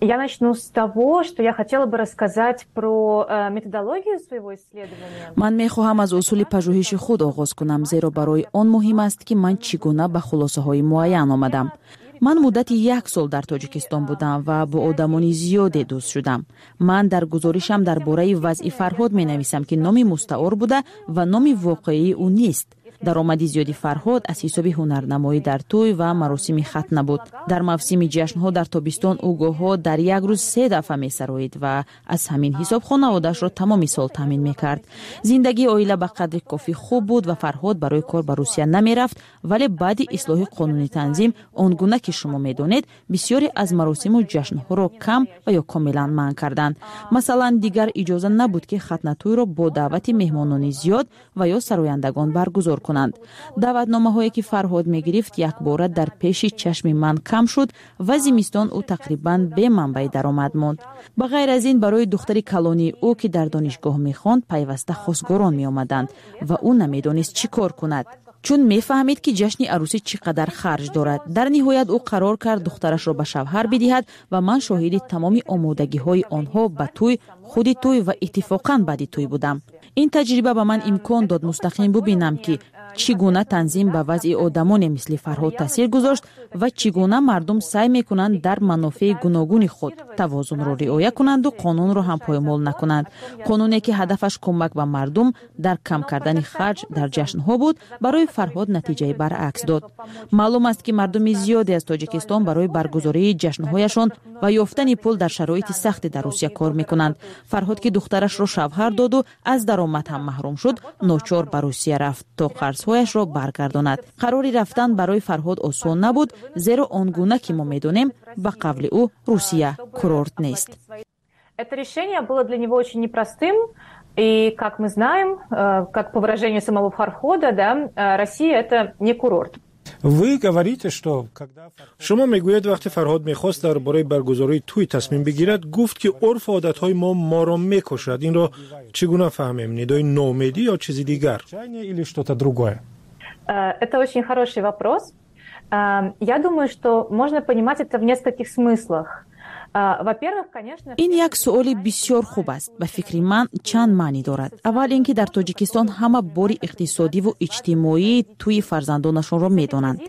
Я начну с того, что я хотела бы рассказать про методологию своего исследования. Ман мехоҳам аз усули пажӯҳиши худ оғоз кунам, зеро барои он муҳим аст, ки ман чӣ гуна ба хулосаҳои муайян омадам. Ман муддати як сол дар Тоҷикистон будам ва бо одамони зиёде дӯст шудам. Ман дар гузоришам дар бораи вазъи Фарҳод менависам, ки номи мустаор буда ва номи воқеии ӯ нест. Даромади зиёди Фарҳод аз ҳисоби ҳунарнамоӣ дар тӯй ва маросими хатна буд. Дар мавсими ҷашнҳо дар тобистон ӯ гоҳҳо дар як рӯз 3 дафъа месароид ва аз ҳамин ҳисоб хонаводаашро тамоми сол таъмин мекард. Зиндагии оила ба қадри кофӣ хуб буд ва Фарҳод барои кор ба Русия намерафт, вале баъди ислоҳи қонуни танзим, он гуна ки шумо медонед, бисёре аз маросиму ҷашнҳоро кам ва ё комилан манъ карданд. Масалан, дигар иҷоза набуд, ки хатнатӯйро бо даъвати меҳмонони зиёд ва ё сарояндагон баргузор кунанд. Даъватномаҳое ки Фарҳод мегирифт, якбора дар пеши чашми ман кам шуд ва зимистон ӯ тақрибан бе манбаи даромад монд. Ба ғайр аз ин, барои духтари калонии ӯ, ки дар донишгоҳ мехонд, пайваста хосгорон меомаданд ва ӯ намедонист чӣ кор кунад, чун мефаҳмид, ки ҷашни арӯсӣ чӣ қадар харҷ дорад. Дар ниҳоят ӯ қарор кард духтарашро ба шавҳар бидиҳад ва ман шоҳиди тамоми омодагиҳои онҳо ба тӯй, худи тӯй ва иттифоқан баъди тӯй будам. Ин таҷриба ба ман имкон дод мустақим бубинам, ки чӣ гуна танзим ба вазъи одамоне мисли Фарҳод таъсир гузошт ва чӣ гуна мардум саъй мекунанд дар манофеи гуногуни худ тавозунро риоя кунанду қонунро ҳам поймол накунанд. Қонуне ки ҳадафаш кӯмак ба мардум дар кам кардани харҷ дар ҷашнҳо буд, барои Фарҳод натиҷаи баръакс дод. Маълум аст, ки мардуми зиёде аз Тоҷикистон барои баргузории ҷашнҳояшон ва ёфтани пул дар шароити сахте дар Русия кор мекунанд. Фарҳод, ки духтарашро шавҳар доду аз даромад ҳам маҳрум шуд, ночор ба Русия рафт, то қарзҳояшро баргардонад. Қарори рафтан барои Фарҳод осон набуд, зеро он гуна ки мо медонем, ба қавли ӯ, Русия курорт нест. Это решение было для него очень непростым. И, как мы знаем, как по выражению самого Фархода, да, Россия – это не курорт. Вы говорите, что когда Шумо мегӯед, вақте Фарҳод мехост дар бораи баргузории тӯй тасмим бигирад, гуфт, ки урфу одатҳои мо моро мекушад. Инро чӣ гуна фаҳмем: нидои ноумедӣ ё чизи дигар? Или что-то другое? Это очень хороший вопрос. Я думаю, что можно понимать это в нескольких смыслах. Во-первых, конечно. Ин як суоли бисёр хуб аст. Ба фикри ман, чанд маънӣ дорад. Аввал ин ки дар Тоҷикистон ҳама бори иқтисодиву иҷтимоии тӯи фарзандонашонро медонанд.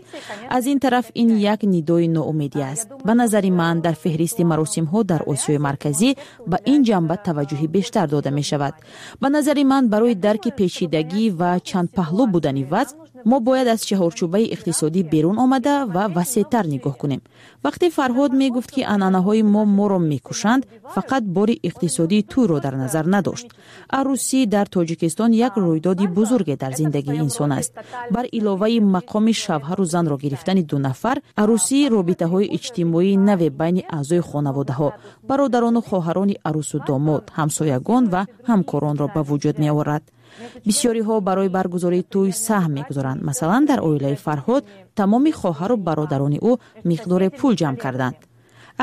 Аз ин тараф, ин як нидои ноумедӣ аст. Ба назари ман, дар феҳристи маросимҳо дар Осиёи Марказӣ ба ин ҷанба таваҷҷӯҳи бештар дода мешавад. Ба назари ман, барои дарки печидагӣ ва чандпаҳлӯ будани вазъ мо бояд аз чаҳорчӯбаи иқтисодӣ берун омада ва васеътар нигоҳ кунем. Вақте Фарҳод мегуфт, ки анъанаҳои мо моро мекушанд, фақат бори иқтисодии тӯйро дар назар надошт. Арӯсӣ дар Тоҷикистон як рӯйдоди бузурге дар зиндагии инсон аст. Бар иловаи мақоми шавҳару занро гирифтани ду нафар, арӯсӣ робитаҳои иҷтимоии наве байни аъзои хонаводаҳо, бародарону хоҳарони арӯсу домод, ҳамсоягон ва ҳамкоронро ба вуҷуд меорад. Бисёриҳо барои баргузории тӯй саҳм мегузоранд. Масалан, дар оилаи Фарҳод тамоми хоҳару бародарони ӯ миқдоре пул ҷамъ карданд.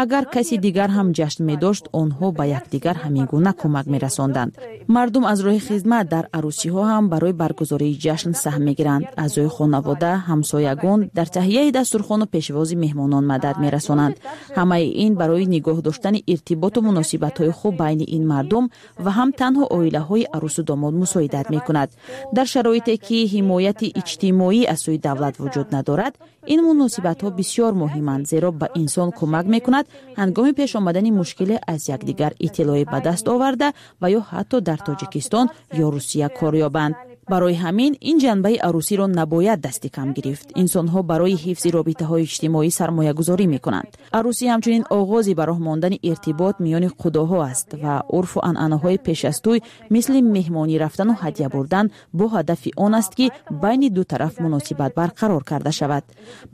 Агар каси дигар ҳам ҷашн медошт, онҳо ба якдигар ҳамин гуна кӯмак мерасонданд. Мардум аз роҳи хизмат дар арӯсиҳо ҳам барои баргузории ҷашн саҳм мегиранд. Аъзои хонавода, ҳамсоягон дар таҳияи дастурхону пешвози меҳмонон мадад мерасонанд. Ҳамаи ин барои нигоҳ доштани иртиботу муносибатҳои хуб байни ин мардум ва ҳам танҳо оилаҳои арӯсу домод мусоидат мекунад. Дар шароите ки ҳимояти иҷтимоӣ аз сӯи давлат вуҷуд надорад, ин муносибатҳо бисёр муҳиманд, зеро ба инсон кӯмак мекунад ҳангоми пеш омадани мушкиле аз якдигар иттилоъе ба даст оварда ва ё ҳатто дар Тоҷикистон ё Русия кор ёбанд. Барои ҳамин ин ҷанбаи арӯсиро набояд дасти кам гирифт. Инсонҳо барои ҳифзи робитаҳои иҷтимоӣ сармоягузорӣ мекунанд. Арӯсӣ ҳамчунин оғози ба роҳ мондани иртибот миёни қудоҳо аст ва урфу анъанаҳои пеш аз тӯй, мисли меҳмонӣ рафтану ҳадя бурдан, бо ҳадафи он аст, ки байни ду тараф муносибат барқарор карда шавад.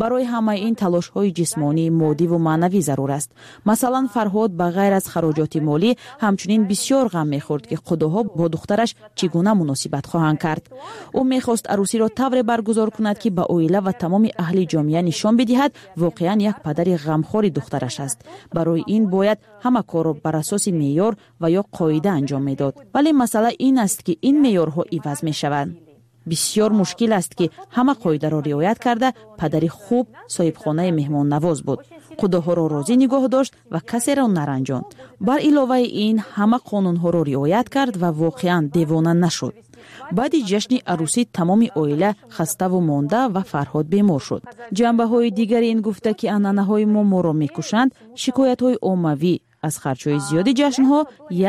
Барои ҳамаи ин талошҳои ҷисмонӣ, моддиву маънавӣ зарур аст. Масалан, Фарҳод ба ғайр аз хароҷоти молӣ ҳамчунин бисёр ғам мехӯрд, ки қудоҳо бо духтараш чӣ гуна муносибат хоҳанд кард. Ӯ мехост арӯсиро тавре баргузор кунад, ки ба оила ва тамоми аҳли ҷомеа нишон бидиҳад, воқеан як падари ғамхори духтараш аст. Барои ин бояд ҳама корро бар асоси меъёр ва ё қоида анҷом медод. Вале масъала ин аст, ки ин меъёрҳо иваз мешаванд. Бисёр мушкил аст, ки ҳама қоидаро риоят карда падари хуб, соҳибхонаи меҳмоннавоз буд, қудоҳоро розӣ нигоҳ дошт ва касеро наранҷонд. Бар иловаи ин, ҳама қонунҳоро риоят кард ва воқеан девона нашуд. Баъди ҷашни арӯсӣ тамоми оила хаставу монда ва Фарҳод бемор шуд. Ҷанбаҳои дигари ин гуфта, ки анъанаҳои мо моро мекушанд, шикоятҳои оммавӣ Аз харҷҳои зиёди ҷашнҳо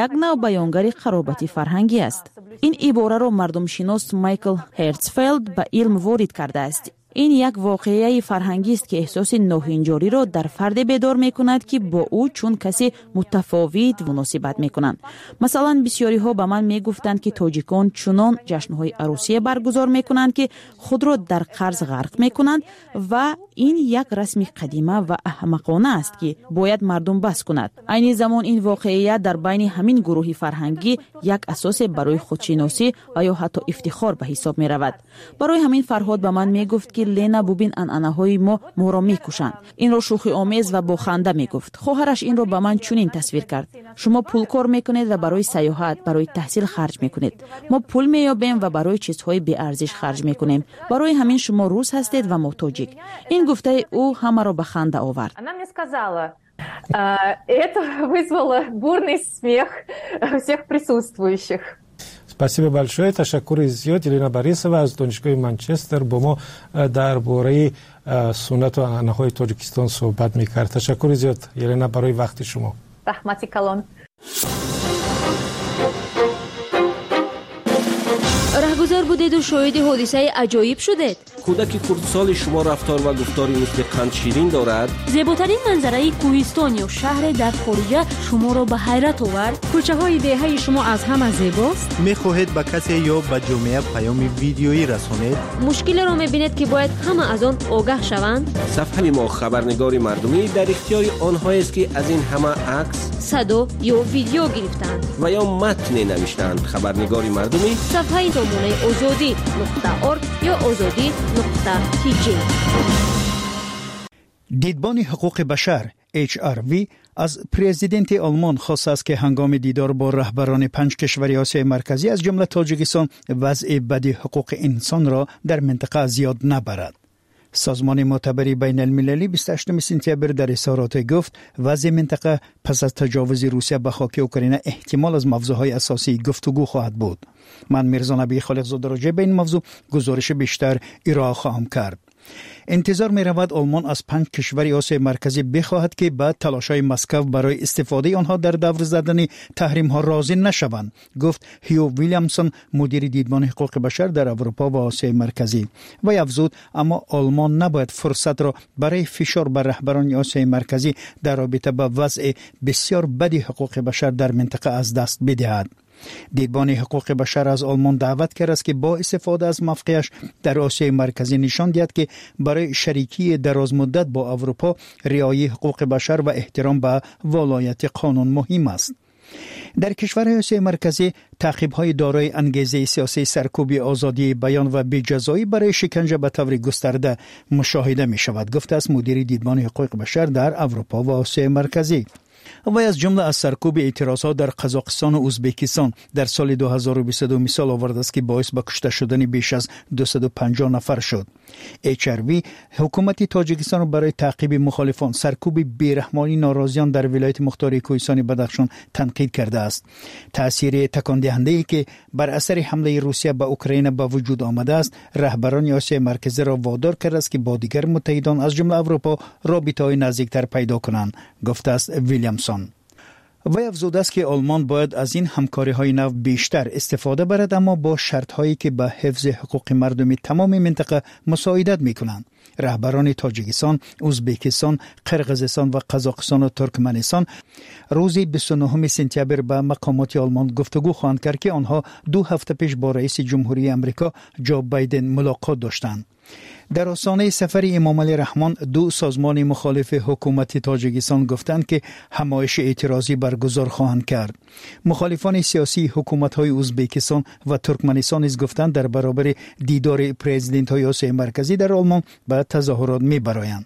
як нав баёнгари қаробати фарҳангӣ аст. Ин ибораро мардумшинос Майкл Ҳертсфелд ба илм ворид кардааст. Ин як воқеаи фарҳангист, ки эҳсоси ноҳинҷориро дар фарде бедор мекунад, ки бо ӯ чун касе мутафовит муносибат мекунанд. Масалан, бисёриҳо ба ман мегуфтанд, ки тоҷикон чунон ҷашнҳои арӯсие баргузор мекунанд, ки худро дар қарз ғарқ мекунанд ва ин як расми қадима ва аҳмақона аст, ки бояд мардум бас кунад. Айни замон ин воқеият дар байни ҳамин гурӯҳи фарҳангӣ як асосе барои худшиносӣ ва ё ҳатто ифтихор ба ҳисоб меравад. Барои ҳамин Фарҳод ба ман мегуфт, ки Лена, бубин, анъанаҳои мо моро мекушанд. Инро шӯхиомез ва бо ханда мегуфт. Хоҳараш инро ба ман чунин тасвир кард: шумо пул кор мекунед ва барои сайёҳат, барои таҳсил харҷ мекунед. Мо пул меёбем ва барои чизҳои беарзиш харҷ мекунем. Барои ҳамин шумо рус ҳастед ва мо тоҷик. Ин гуфтаи ӯ ҳамаро ба ханда овард. Она мне сказала, это вызвало бурный смех всех присутствующих. Спасибо большое. Ташаккури зиёд. Елена Борисова аз Донишгоҳи Манчестер бо мо дар бораи суннату анъанаҳои Тоҷикистон суҳбат мекард. Ташаккури зиёд, Елена, барои вақти шумо. Раҳмати калон. Раҳгузар будеду шоҳиди ҳодисаи аҷоиб шудед? Кӯдаки хурдсоли шумо рафтор ва гуфтори мисли қандширин дорад? Зеботарин манзараи кӯҳистон ё шаҳре дар хориҷа шуморо ба ҳайрат овард? Кӯчаҳои деҳаи шумо аз ҳама зебост? Мехоҳед ба касе ё ба ҷомеа паёми видеоӣ расонед? Мушкилеро мебинед, ки бояд ҳама аз он огаҳ шаванд? Сафҳаи мо хабарнигори мардумӣ дар ихтиёри онҳоест, ки аз ин ҳама акс, садо ё видео гирифтаанд ва ё матне навиштаанд. Хабарнигори мардумӣ сафҳаи сомонаи озодӣ нуқта орг ё озодӣ нуқта тж. Дидбони ҳуқуқи башар HRW аз президенти Олмон хостааст, ки ҳангоми дидор бо раҳбарони панҷ кишвари Осиёи Марказӣ, аз ҷумла Тоҷикистон, вазъи бади ҳуқуқи инсонро дар минтақа зиёд набарад. Созмони мӯътабари байналмилалӣ 28 сентябр дар изҳороте гуфт, вазъи минтақа пас аз таҷовузи Русия ба хоки Украина эҳтимол аз мавзӯъҳои асосии гуфтугӯ хоҳад буд. Ман Мирзо Набӣ Холиқзода роҷеъ ба ин мавзӯъ гузориши бештар ироа хоҳам кард. Интизор меравад, Олмон аз панҷ кишвари Осиёи Марказӣ бихоҳад, ки ба талошҳои Москав барои истифодаи онҳо дар давр задани таҳримҳо розӣ нашаванд, гуфт Ҳю Вилямсон, мудири дидбони ҳуқуқи башар дар Аврупо ва Осиёи Марказӣ. Вай афзуд, аммо Олмон набояд фурсатро барои фишор бар раҳбарони Осиёи Марказӣ дар робита ба вазъи бисёр бади ҳуқуқи башар дар минтақа аз даст бидиҳад. Дидбони ҳуқуқи башар аз Олмон даъват кардааст, ки бо истифода аз мавқеаш дар Осиёи Марказӣ нишон диҳад, ки барои шарикии дарозмуддат бо Аврупо риояи ҳуқуқи башар ва эҳтиром ба волояти қонун муҳим аст. Дар кишварҳои Осиёи Марказӣ таъқибҳои дорои ангезаи сиёсии, саркӯби озодии баён ва беҷазоӣ барои шиканҷа ба таври густарда мушоҳида мешавад, гуфтааст мудири дидбони ҳуқуқи башар дар Аврупо ва Осиёи Марказӣ. Вай аз ҷумла аз саркӯби эътирозҳо дар Қазоқистон ва Ӯзбекистон дар соли 2022 мисол овардааст, ки боис ба кушта шудани беш аз 250 нафар шуд. HRW ҳукумати Тоҷикистонро барои таъқиби мухолифон, саркӯби бераҳмонии норозиён дар вилояти мухтори Кӯҳистони Бадахшон танқид кардааст. Таъсири такондиҳандае, ки бар асари ҳамлаи Русия ба Украина ба вуҷуд омадааст, раҳбарони Осиёи Марказиро водор кардааст, ки бо дигар муттаҳидон, аз ҷумла Аврупо, робитаҳои наздиктар пайдо кунанд, гуфтааст Вилямсон. Вай афзудааст, ки Олмон бояд аз ин ҳамкориҳои нав бештар истифода барад, аммо бо шартҳое, ки ба ҳифзи ҳуқуқи мардуми тамоми минтақа мусоидат мекунанд. Раҳбарони Тоҷикистон, Ӯзбекистон, Қирғизистон ва Қазоқистон ва Туркманистон рӯзи 29 сентябр ба мақомоти Олмон гуфтугӯ хоҳанд кард, ки онҳо 2 ҳафта пеш бо раиси ҷумҳурии Амрико Ҷо Байден мулоқот доштанд. Дар остонаи сафари Эмомалӣ Раҳмон ду созмони мухолифи ҳукумати Тоҷикистон гуфтанд, ки ҳамоиши эътирозӣ баргузор хоҳанд кард. Мухолифони сиёсии ҳукуматҳои Ӯзбекистон ва Туркманистон низ гуфтанд, дар баробари дидори президентҳои Осиёи Марказӣ дар Олмон ба тазоҳурот мебароянд.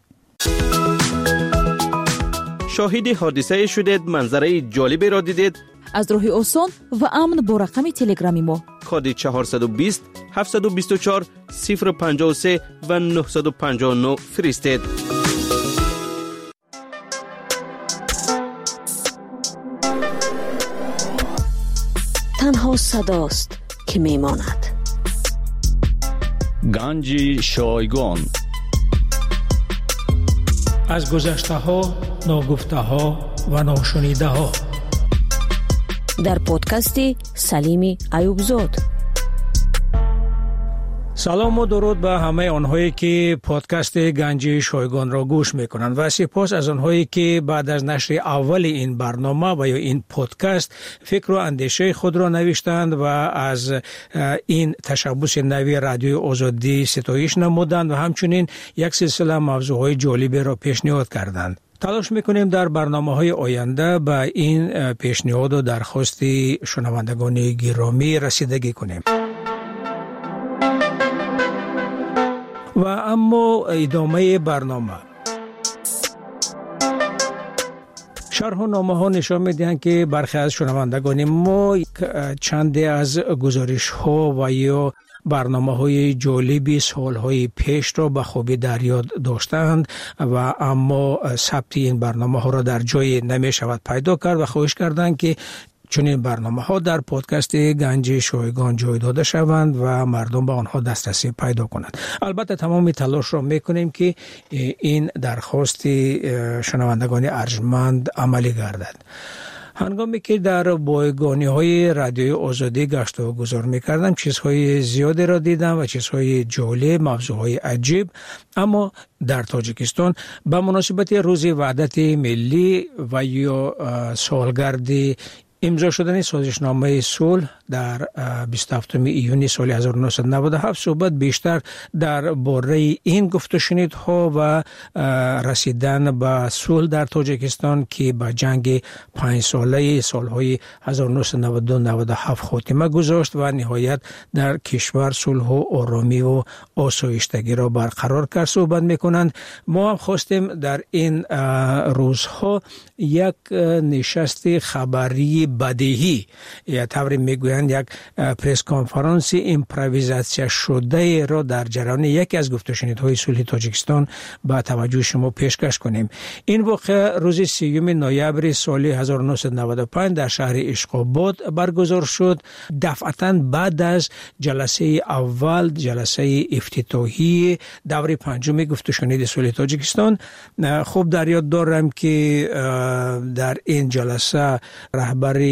Шоҳиди ҳодисае шудед, манзараи ҷолиберо дидед? Аз роҳи осон ва амн бо рақами телеграми мо коди 420 724 053 ва 959 фиристед. Танҳо садост, ки мемонад. Ганҷи шойгон. Аз гузаштаҳо, ногуфтаҳо, Ва ношунидаҳо. Дар подкасти Салими Аюбзод. Салому дуруд ба ҳамаи онҳое, ки подкасти Ганҷи шойгонро гӯш мекунанд, ва сипос аз онҳое, ки баъд аз нашри аввали ин барнома ва ё ин подкаст фикру андешаи худро навиштанд ва аз ин ташаббуси нави Радиои Озодӣ ситоиш намуданд ва ҳамчунин як силсила мавзӯъҳои ҷолиберо пешниҳод карданд. Талош мекунем дар барномаҳои оянда ба ин пешниҳоду дархости шунавандагони гиромӣ расидагӣ кунем. Ва аммо идомаи барнома. Шарҳу номаҳо нишон медиҳанд, ки бархе аз шунавандагони мо чанде аз гузоришҳо ва ё барномаҳои ҷолиби солҳои пешро ба хубӣ дар ёд доштаанд ва аммо сабти ин барномаҳоро дар ҷое намешавад пайдо кард ва хоҳиш карданд, ки чунин барномаҳо дар подкасти Ганҷи шойгон ҷой дода шаванд ва мардум ба онҳо дастрасӣ пайдо кунанд. Албатта, тамоми талошро мекунем, ки ин дархости шунавандагони арҷманд амалӣ гардад. Ҳангоме ки дар бойгониҳои Радиои Озодӣ гашту гузор мекардам, чизҳои зиёдеро дидам ва чизҳои ҷолиб, мавзӯъҳои аҷиб. Аммо дар Тоҷикистон ба муносибати Рӯзи Ваҳдати Миллӣ ва ё солгарди имзо шудани созишномаи сулҳ дар 27 июни соли 1997 суҳбат бештар дар бораи ин гуфтушунидҳо ва расидан ба сулҳ дар Тоҷикистон, ки ба ҷанги панҷсолаи солҳои 1992-97 хотима гузошт ва ниҳоят дар кишвар сулҳу оромиву осоиштагиро барқарор кард, суҳбат мекунанд. Мо ҳам хостем дар ин рӯзҳо як нишасти хабарии бадеҳӣ, ё тавре мегӯянд, як пресс-конференси импровизатсияшудаеро дар ҷараёни яке аз гуфтушунидҳои сулҳи Тоҷикистон ба таваҷҷӯҳи шумо пешкаш кунем. Ин воқеа рӯзи 30 ноябри соли 1995 дар шаҳри Ишқобод баргузор шуд, дафъатан баъд аз ҷаласаи аввал, ҷаласаи ифтитоҳии даври панҷуми гуфтушуниди сулҳи Тоҷикистон. Хуб дар ёд дорам, ки дар ин ҷаласа раҳбари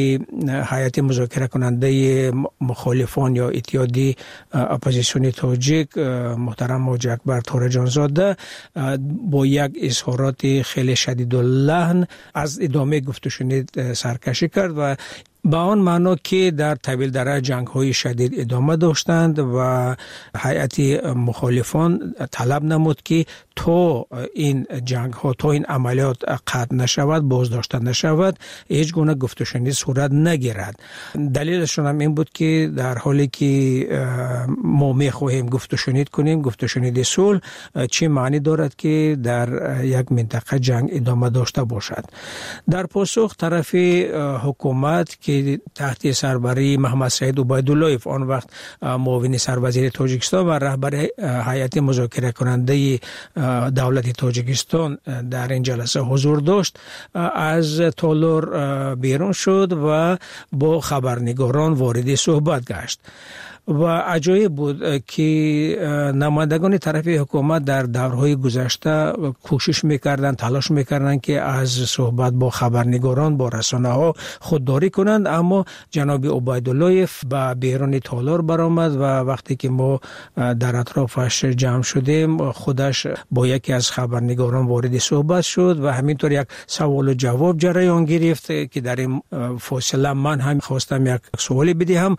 ҳайати музокиракунандаи мухолифон ё иттиҳоди оппозитсиони тоҷик муҳтарам Ҳоҷи Акбар Тораҷонзода бо як изҳороти хеле шадидуллаҳн аз идомаи гуфтушунид саркашӣ кард ва ба он маъно, ки дар Тавилдара ҷангҳои шадид идома доштанд ва ҳайати мухолифон талаб намуд, ки то ин ҷангҳо, то ин амалиёт қатъ нашавад, боздошта нашавад, ҳеҷ гуна гуфтушунид сурат нагирад. Далелашонам ин буд, ки дар ҳоле ки мо мехоҳем гуфтушунид кунем, гуфтушуниди сулҳ, чӣ маънӣ дорад, ки дар як минтақа ҷанг идома дошта бошад? Дар посух тарафи ҳукумат, ки таҳти сарбарии Маҳмадсаид Убайдуллоев, он вақт муовини сарвазири Тоҷикистон ва раҳбари ҳайати музокиракунандаи давлати Тоҷикистон дар ин ҷаласа ҳузур дошт, аз толор берун шуд ва бо хабарнигорон вориди суҳбат гашт. Ва аҷоиб буд, ки намояндагони тарафи ҳукумат дар даврҳои гузашта кӯшиш мекарданд, талош мекарданд, ки аз суҳбат бо хабарнигорон, бо расонаҳо худдорӣ кунанд, аммо ҷаноби Убайдуллоев ба беруни толор баромад ва вақте ки мо дар атрофаш ҷамъ шудем, худаш бо яке аз хабарнигорон вориди суҳбат шуд ва ҳаминтавр як саволу ҷавоб ҷараён гирифт, ки дар ин фосила ман ҳам хостам як суоле бидиҳам,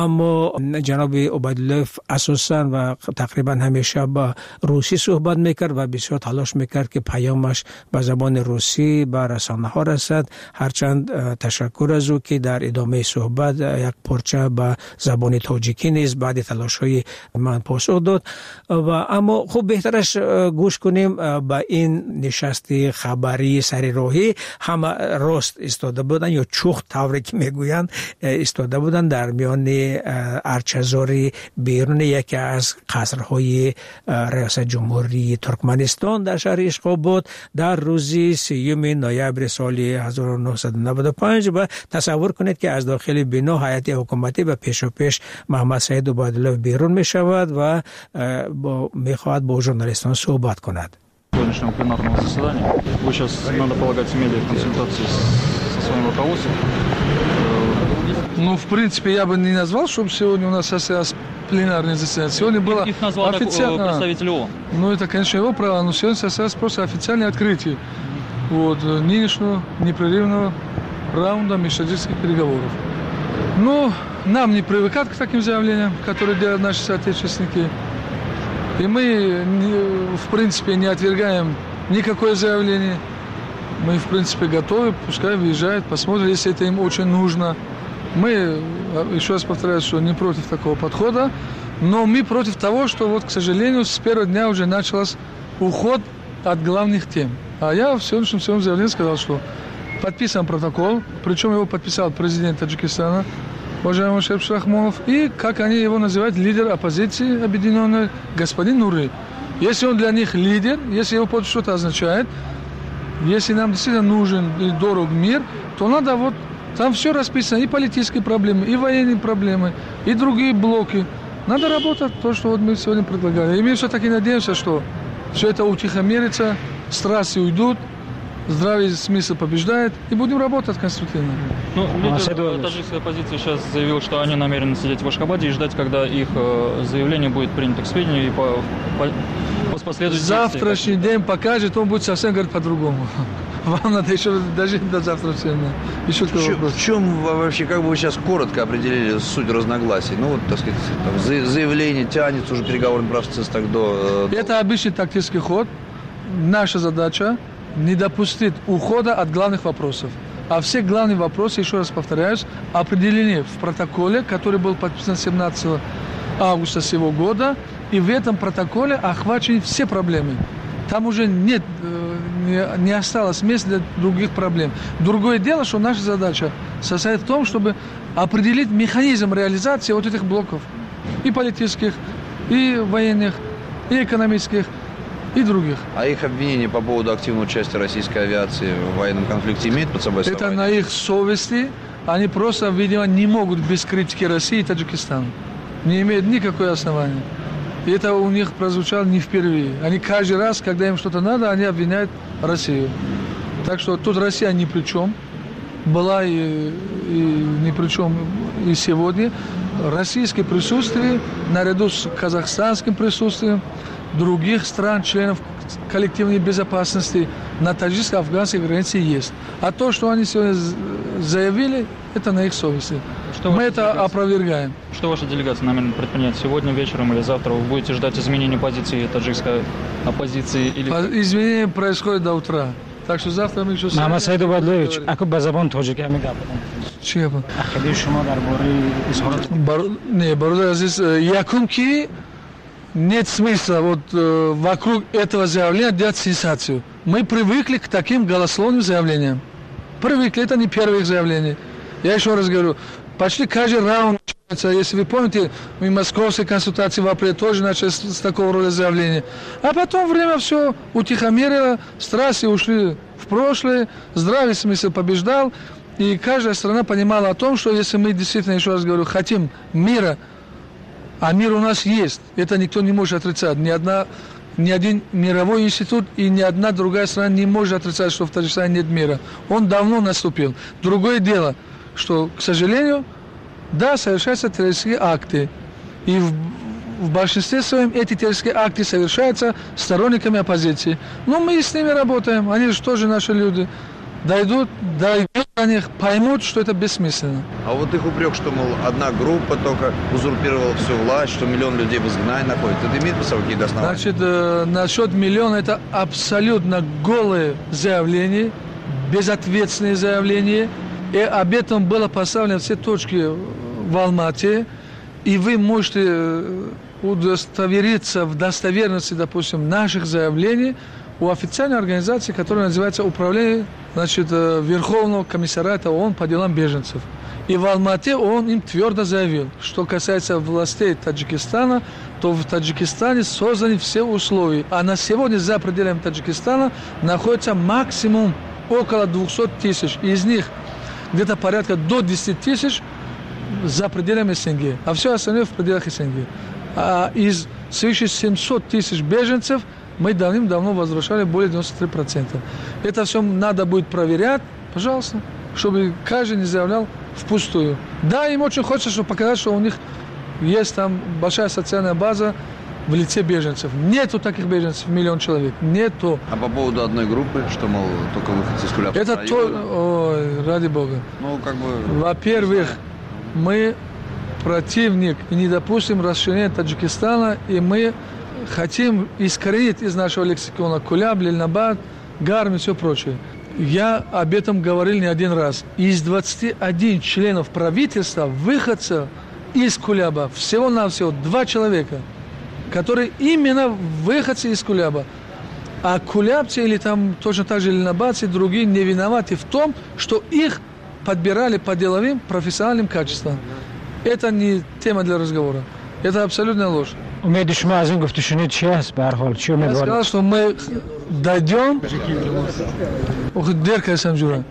аммо ҷаноби Убайдуллоев асосан ва тақрибан ҳамеша ба русӣ суҳбат мекард ва бисёр талош мекард, ки паёмаш ба забони русӣ ба расонаҳо расад. Ҳарчанд ташаккур аз ӯ, ки дар идомаи суҳбат як порча ба забони тоҷикӣ низ баъди талошҳои ман посух дод. Ва аммо хуб, беҳтараш гӯш кунем ба ин нишасти хабарии сари роҳӣ. Ҳама рост истода буданд ё чух, тавре ки мегӯянд, истода буданд дар миёни арчазори беруни яке аз қасрҳои риёсат ҷумҳурии Туркманистон дар шаҳри Ишқобод дар рӯзи 30 ноябри соли 1995. Ва тасаввур кунед, ки аз дохили бино ҳайати ҳукуматӣ ба пешопеш Маҳмадсаид Убайдуллоев берун мешавад ва мехоҳад бо журналистон суҳбат кунад. Сегодняшнего пленарного заседания. Вы сейчас, надо полагать, имели консультации со своим руководством. Ну, в принципе, я бы не назвал, чтобы сегодня у нас состоялось пленарное заседание. Сегодня было Их назвал официально... представитель ООН. Ну, это, конечно, его право, но сегодня состоялось просто официальное открытие вот, нынешнего непрерывного раунда межтаджикских переговоров. Но нам не привыкать к таким заявлениям, которые делают наши соотечественники. И мы, в принципе, не отвергаем никакое заявление. Мы, в принципе, готовы, пускай выезжают, посмотрят, если это им очень нужно. Мы, еще раз повторяю, что не против такого подхода, но мы против того, что, вот, к сожалению, с первого дня уже начался уход от главных тем. А я в сегодняшнем своем заявлении сказал, что подписан протокол, причем его подписал президент Таджикистана, уважаемый Шериф Рахмонов, и, как они его называют, лидер оппозиции объединенной, господин Нури. Если он для них лидер, если его подпись что-то означает, если нам действительно нужен и дорог мир, то надо вот... Там все расписано, и политические проблемы, и военные проблемы, и другие блоки. Надо работать, то, что вот мы сегодня предлагали. И мы все-таки надеемся, что все это утихомирится, страсти уйдут, здравый смысл побеждает, и будем работать конструктивно. Ну, лидер таджикской оппозиции сейчас заявил, что они намерены сидеть в Ашхабаде и ждать, когда их заявление будет принято к сведению и последует. Завтрашний день покажет, он будет совсем говорить по-другому. Вам надо еще дожить до завтрашнего дня. Еще такой вопрос. В чем вообще, как бы вы сейчас коротко определили суть разногласий? Ну, вот, так сказать, там, заявление тянется уже переговорный процесс так до... Это обычный тактический ход. Наша задача не допустить ухода от главных вопросов. А все главные вопросы, еще раз повторяюсь, определены в протоколе, который был подписан 17 августа сего года. И в этом протоколе охвачены все проблемы. Там уже нет, не осталось места для других проблем. Другое дело, что наша задача состоит в том, чтобы определить механизм реализации вот этих блоков. И политических, и военных, и экономических, и других. А их обвинения по поводу активного участия российской авиации в военном конфликте имеют под собой основание? Это на их совести. Они просто, видимо, не могут без критики России и Таджикистана. Не имеют никакого основания. И это у них прозвучало не впервые. Они каждый раз, когда им что-то надо, они обвиняют Россию. Так что тут Россия ни при чем. Была и ни при чем и сегодня. Российское присутствие, наряду с казахстанским присутствием других стран, членов коллективной безопасности на таджикско-афганской границе есть. А то, что они сегодня заявили, это на их совести. Что Мы это опровергаем. Что ваша делегация намерена предпринять сегодня вечером или завтра? Вы будете ждать изменения позиции таджикской оппозиции? Или... Изменения происходят до утра. Так что завтра мы еще... Мамад Саид Убайдуллоевич, аку ба забон тоҷикӣ ҳамин гап бизанед. Чӣ гап? Ақидаи шумо дар бораи изҳорот... Не, бародар азиз, якум ки нет смысла вот вокруг этого заявления делать сенсацию. Мы привыкли к таким голословным заявлениям. Привыкли, это не первое их заявление. Я еще раз говорю, почти каждый раунд, если вы помните, мы московские консультации в апреле тоже начали с такого рода заявления. А потом время все утихомирило, страсти ушли в прошлое, здравый смысл побеждал. И каждая страна понимала о том, что если мы действительно, еще раз говорю, хотим мира, а мир у нас есть, это никто не может отрицать. Ни один мировой институт и ни одна другая страна не может отрицать, что в Таджикистане нет мира. Он давно наступил. Другое дело, что, к сожалению, да, совершаются террористические акты. И в большинстве своем эти террористические акты совершаются сторонниками оппозиции. Но мы с ними работаем, они же тоже наши люди. Дойдут до них, поймут, что это бессмысленно. А вот их упрек, что, мол, одна группа только узурпировала всю власть, что миллион людей в изгнании находится, это имеет под собой какие-то основания? Значит, насчет миллиона это абсолютно голое заявление, безответственное заявление. И об этом было поставлено все точки в Алмате. И вы можете удостовериться в достоверности, допустим, наших заявлений у официальной организации, которая называется Управление, значит, Верховного комиссариата ООН по делам беженцев. И в Алмате он им твердо заявил, что касается властей Таджикистана, то в Таджикистане созданы все условия. А на сегодня за пределами Таджикистана находится максимум около 200 тысяч. Из них где-то порядка до 10 тысяч за пределами СНГ, а все остальное в пределах СНГ. А из свыше 700 тысяч беженцев Мы давным-давно возвращали более 93%. Это все надо будет проверять, пожалуйста, чтобы каждый не заявлял впустую. Да, им очень хочется, чтобы показать, что у них есть там большая социальная база в лице беженцев. Нету таких беженцев, миллион человек. Нету. А по поводу одной группы, что, мол, только выходцы из Кулябского Это района? То... Ой, ради бога. Ну, как бы... Во-первых, мы противник и не допустим расширения Таджикистана, и мы хотим искоренить из нашего лексикона Куляб, Ленинабад, Гарм и все прочее. Я об этом говорил не один раз. Из 21 членов правительства, выходцев из Куляба, всего-навсего 2 человека, которые именно выходцы из Куляба. А кулябцы или там точно так же ленинабадцы, другие не виноваты в том, что их подбирали по деловым профессиональным качествам. Это не тема для разговора. Это абсолютная ложь. Умеди шумо аз ин гуфтушунид чи аст? Ба ҳар ҳол, чи Я умедворед? сказал, что мы дойдем. Ох, дерка я сам жура.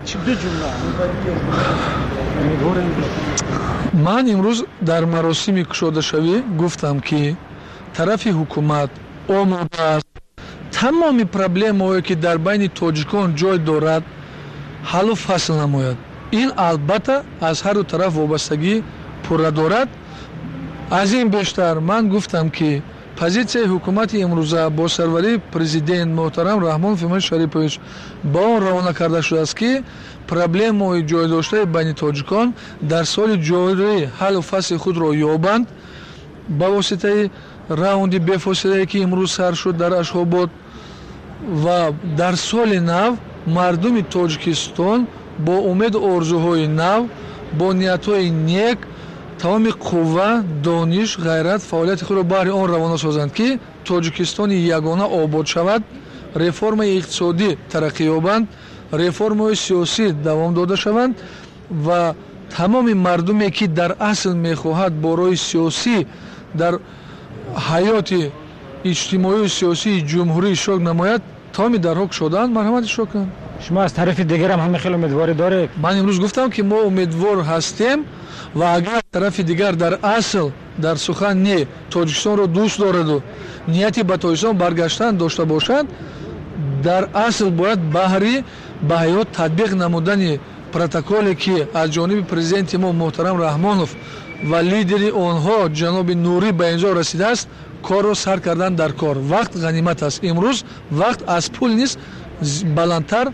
Ман имрӯз дар маросими кушодашавӣ гуфтам, ки тарафи ҳукумат омода аст тамоми проблемаҳое, ки дар байни тоҷикон ҷой дорад, ҳаллу фасл намояд. Ин албатта аз ҳарду тараф вобастагӣ пурра дорад. Аз ин бештар ман гуфтам, ки позитсияи ҳукумати имрӯза бо сарварии президент муҳтарам Раҳмон Фимон Шарипович ба он равона карда шудааст, ки проблемаҳои ҷойдоштаи байни тоҷикон дар соли ҷорӣ ҳаллу фасли худро ёбанд ба воситаи раунди бефосилае, ки имрӯз сар шуд дар Ашхобод, ва дар соли нав мардуми Тоҷикистон бо умеду орзуҳои нав, бо ниятҳои нек тамоми қувва, дониш, ғайрат, фаъолияти худро баҳри он равона созанд, ки Тоҷикистони ягона обод шавад, реформаи иқтисодӣ тараққӣ ёбанд, реформаҳои сиёсӣ давом дода шаванд ва тамоми мардуме, ки дар асл мехоҳад бо роҳи сиёсӣ дар ҳаёти иҷтимоию сиёсии ҷумҳурӣ иштирок намояд, тамоми дарҳо кушодаанд, марҳамат иштирок кунанд. Шумо аз тарафи дигарам ҳама хеле умедворӣ доред? Ман имрӯз гуфтам, ки мо умедвор ҳастем ва агар тарафи дигар дар асл дар сухан не Тоҷикистонро дӯст дораду нияти ба Тоҷикистон баргаштан дошта бошад, дар асл бояд баҳри ба ҳаёт татбиқ намудани протоколе, ки аз ҷониби президенти мо муҳтарам Раҳмонов ва лидери онҳо ҷаноби Нурӣ ба имзо расидааст, корро сар кардан дар кор. Вақт ғанимат аст. Имрӯз вақт аз пул низ баландтар,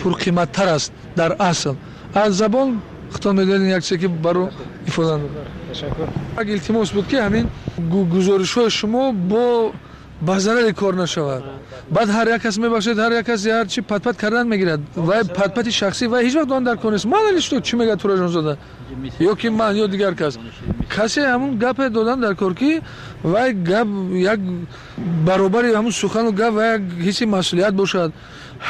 пурқиматтар аст дар асл. Аз забон худтон медонед як чизе, ки баро ифода Ташаккур. Як илтимос буд, ки ҳамин гузоришҳои шумо бо ба зарари кор нашавад. Баъд ҳар як кас мебахшед, ҳар як кас ҳар чи патпат кардан мегирад. Вай патпати шахсӣ, вай ҳеҷ вақт он дар кор нест. Ман али что, чӣ мегӯяд Тураҷонзода? Ё ки ман, ё дигар кас. Касе ҳамун гапе додан дар кор, ки вай гап як баробари ҳамун сухану гап вай як ҳисси масъулият бошад.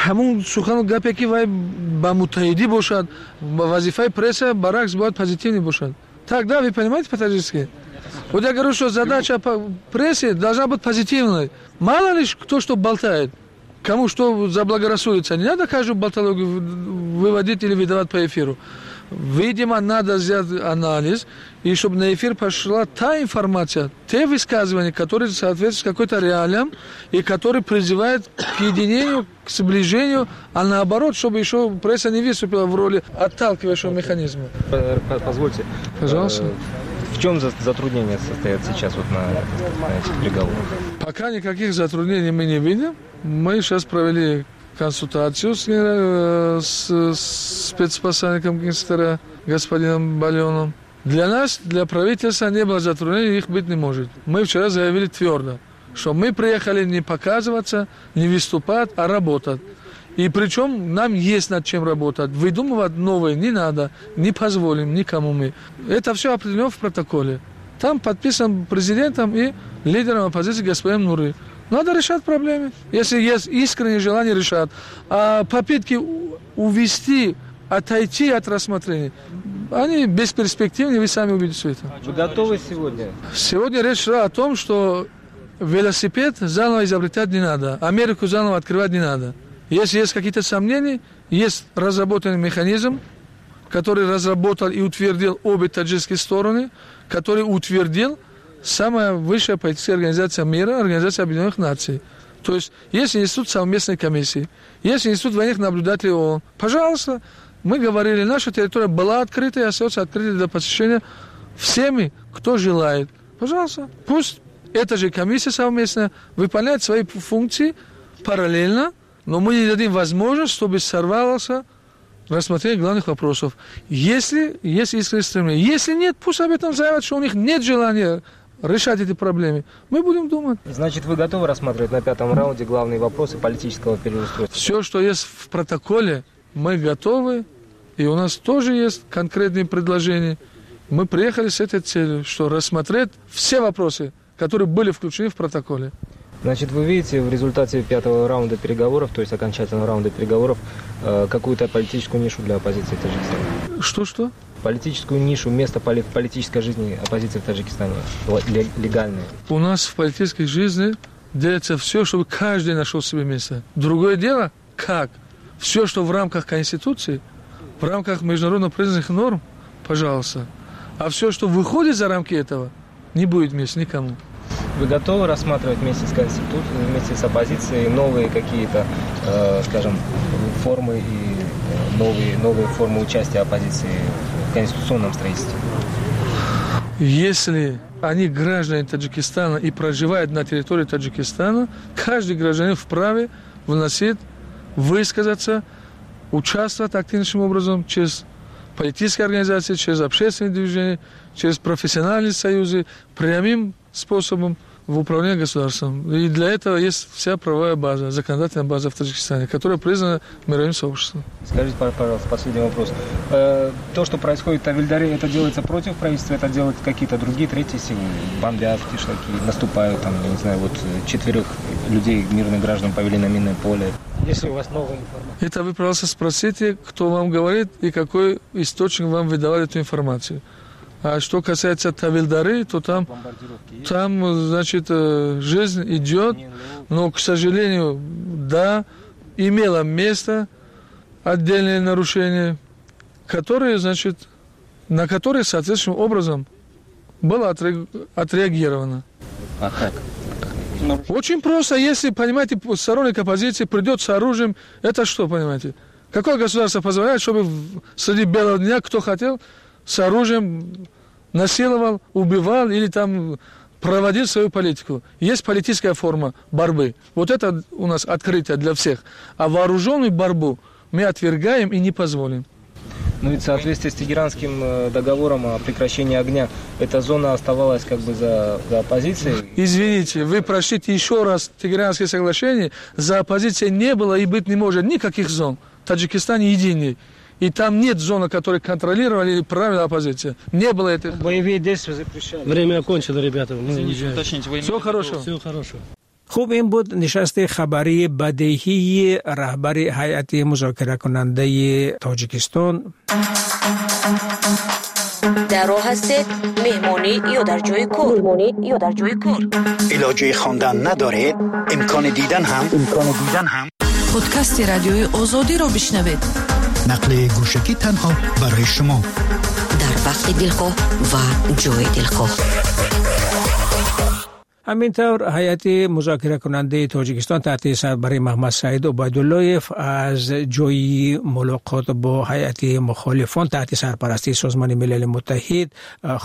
Ҳамун сухану гапе, ки вай ба муттаҳидӣ бошад, вазифаи пресса баръакс бояд позитивный бошад. Так, да, вы понимаете по-таджикски? Вот я говорю, что задача прессы должна быть позитивной. Мало ли кто что болтает, кому что заблагорассудится. Не надо каждую болтологию выводить или выдавать по эфиру. Видимо, надо сделать анализ, и чтобы на эфир пошла та информация, те высказывания, которые соответствуют какой-то реалиям и которые призывают к единению, к сближению, а наоборот, чтобы еще пресса не выступила в роли отталкивающего механизма. Позвольте. Пожалуйста. В чем затруднения состоят сейчас вот на этих переговорах? Пока никаких затруднений мы не видим. Мы сейчас провели консультацию с спецпосланником Генсектора господином Балеоном. Для нас, для правительства не было затруднений, их быть не может. Мы вчера заявили твердо, что мы приехали не показываться, не выступать, а работать. И причем нам есть над чем работать. Выдумывать новое не надо, не позволим никому мы. Это все определено в протоколе. Там подписан президентом и лидером оппозиции господином Нури. Надо решать проблемы. Если есть искреннее желание решать. А попытки увести, отойти от рассмотрения, они бесперспективны, вы сами увидите это. Вы готовы сегодня? Сегодня речь шла о том, что велосипед заново изобретать не надо, Америку заново открывать не надо. Если есть какие-то сомнения, есть разработанный механизм, который разработал и утвердил обе таджикские стороны, который утвердил самая высшая политическая организация мира, Организация Объединенных Наций. То есть есть институт совместной комиссии, есть институт военных наблюдателей ООН. Пожалуйста, мы говорили, наша территория была открыта и остается открытой для посещения всеми, кто желает. Пожалуйста, пусть эта же комиссия совместная выполняет свои функции параллельно, но мы не дадим возможность, чтобы сорвался рассмотрение главных вопросов. Если есть искреннее стремление. Если нет, пусть об этом заявят, что у них нет желания решать эти проблемы. Мы будем думать. Значит, вы готовы рассматривать на пятом раунде главные вопросы политического переустройства? Все, что есть в протоколе, мы готовы. И у нас тоже есть конкретные предложения. Мы приехали с этой целью, что рассмотреть все вопросы, которые были включены в протоколе. Значит, вы видите в результате пятого раунда переговоров, то есть окончательного раунда переговоров, какую-то политическую нишу для оппозиции в Таджикистане? Что-что? Политическую нишу, место в политической жизни оппозиции в Таджикистане, легальное. У нас в политической жизни делается все, чтобы каждый нашел себе место. Другое дело, как? Все, что в рамках Конституции, в рамках международно признанных норм, пожалуйста. А все, что выходит за рамки этого, не будет места никому. Вы готовы рассматривать вместе с Конституцией, вместе с оппозицией новые какие-то, скажем, формы и новые формы участия оппозиции в конституционном строительстве? Если они граждане Таджикистана и проживают на территории Таджикистана, каждый гражданин вправе вносить, высказаться, участвовать активнейшим образом через политические организации, через общественные движения, через профессиональные союзы, прямым способом в управлении государством. И для этого есть вся правовая база, законодательная база в Таджикистане, которая признана мировым сообществом. Скажите, пожалуйста, последний вопрос. То, что происходит в Тавильдаре, это делается против правительства, это делают какие-то другие, третьи силы? Бомбят кишлаки, наступают, там, я не знаю, вот 4 людей, мирных граждан, повели на минное поле. Если у вас новая информация. Это вы, пожалуйста, спросите, кто вам говорит и какой источник вам выдавал эту информацию. А что касается Тавильдары, то там, значит, жизнь идет, но, к сожалению, да, имело место отдельные нарушения, которые, значит, на которые соответствующим образом было отреагировано. А как? Очень просто, если, понимаете, сторонник оппозиции придет с оружием, это что, понимаете? Какое государство позволяет, чтобы среди белого дня кто хотел с оружием насиловал, убивал или там проводил свою политику? Есть политическая форма борьбы. Вот это у нас открытие для всех. А вооруженную борьбу мы отвергаем и не позволим. Ну ведь в соответствии с Тегеранским договором о прекращении огня, эта зона оставалась как бы за оппозицией. Извините, вы прочтите еще раз Тегеранское соглашение. За оппозицией не было и быть не может никаких зон. Таджикистан единый. И там нет зоны, которую контролировали или правила оппозиция. Не было этого. Боевые действия запрещали. Время окончено, ребята. Мы уезжаем. Всего хорошего. Всего хорошего. Хуб, ин буд нишасти хабарии бадеҳии раҳбари ҳайати музокиракунандаи Тоҷикистон. Дар роҳ ҳастед, меҳмонӣ ё дар ҷои кор, илоҷи хондан надоред, имкони дидан ҳам. Подкасти радиои Озодиро бишнавед. Нақли гӯшакӣ танҳо барои шумо дар вақти дилхоҳ ва ҷои дилхоҳ. Ҳамин тавр, ҳайати музокиракунандаи Тоҷикистон таҳти сарбарии Маҳмад Саид Убайдуллоев аз ҷои мулоқот бо ҳайати мухолифон таҳти сарпарастии Созмони Милали Муттаҳид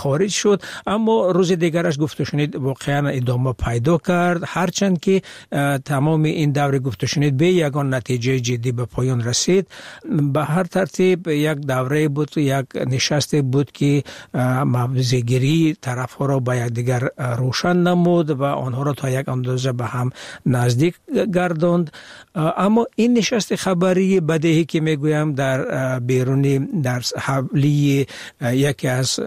хориҷ шуд, аммо рӯзи дигараш гуфтушунид воқеан идома пайдо кард, ҳарчанд ки тамоми ин даври гуфтушунид бе ягон натиҷаи ҷиддӣ ба поён расид. Ба ҳар тартиб, як даврае буд, як нишасте буд, ки мавзеъгирии тарафҳоро ба якдигар рӯшан намуд ва онҳоро то як андоза ба ҳам наздик гардонд. Аммо ин нишасти хабарии бадеҳӣ, ки мегӯям, дар беруни, дар ҳавлии яке аз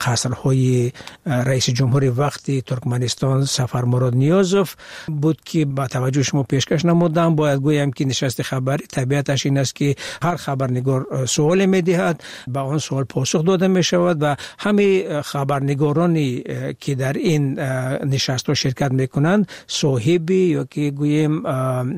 қасрҳои раиси ҷумҳури вақти Туркманистон Сафармурод Ниёзов буд, ки ба таваҷҷӯҳи шумо пешкаш намудам. Бояд гӯям, ки нишасти хабарӣ табиаташ ин аст, ки ҳар хабарнигор суоле медиҳад, ба он суол посух дода мешавад ва ҳамаи хабарнигороне ки дар ин нишаст нишастҳо ширкат мекунанд, соҳиби ё ки гӯем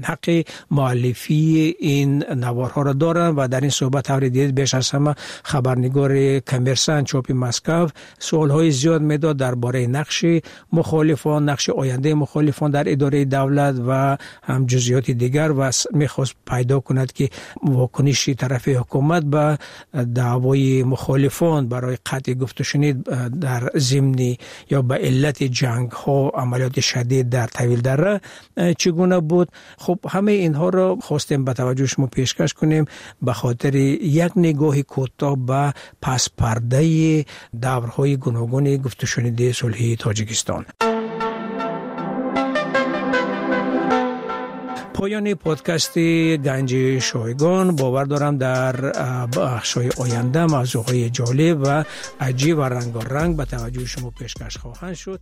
ҳаққи муаллифии ин наворҳоро доранд. Ва дар ин суҳбат, тавре дидед, беш аз ҳама хабарнигори Коммерсант чопи Москав суолҳои зиёд медод дар бораи нақши мухолифон, нақши ояндаи мухолифон дар идораи давлат ва ҳам ҷузъиёти дигар, ва мехост пайдо кунад, ки вокуниши тарафи ҳукумат ба даъвои мухолифон барои қатъи гуфтушунид дар зимни ё ба иллати ҷангҳо, амалиёти шадид дар Тавилдара чӣ гуна буд. Хуб, ҳамаи инҳоро хостем ба таваҷҷӯҳи шумо пешкаш кунем ба хотири як нигоҳи кӯтоҳ ба паспардаи даврҳои гуногуни гуфтушуниди сулҳии Тоҷикистон. Поёни подкасти Ганҷи шойгон. Бовар дорам, дар бахшҳои оянда мавзӯъҳои ҷолиб ва аҷиб ва рангоранг ба таваҷҷӯҳи шумо пешкаш хоҳанд шуд.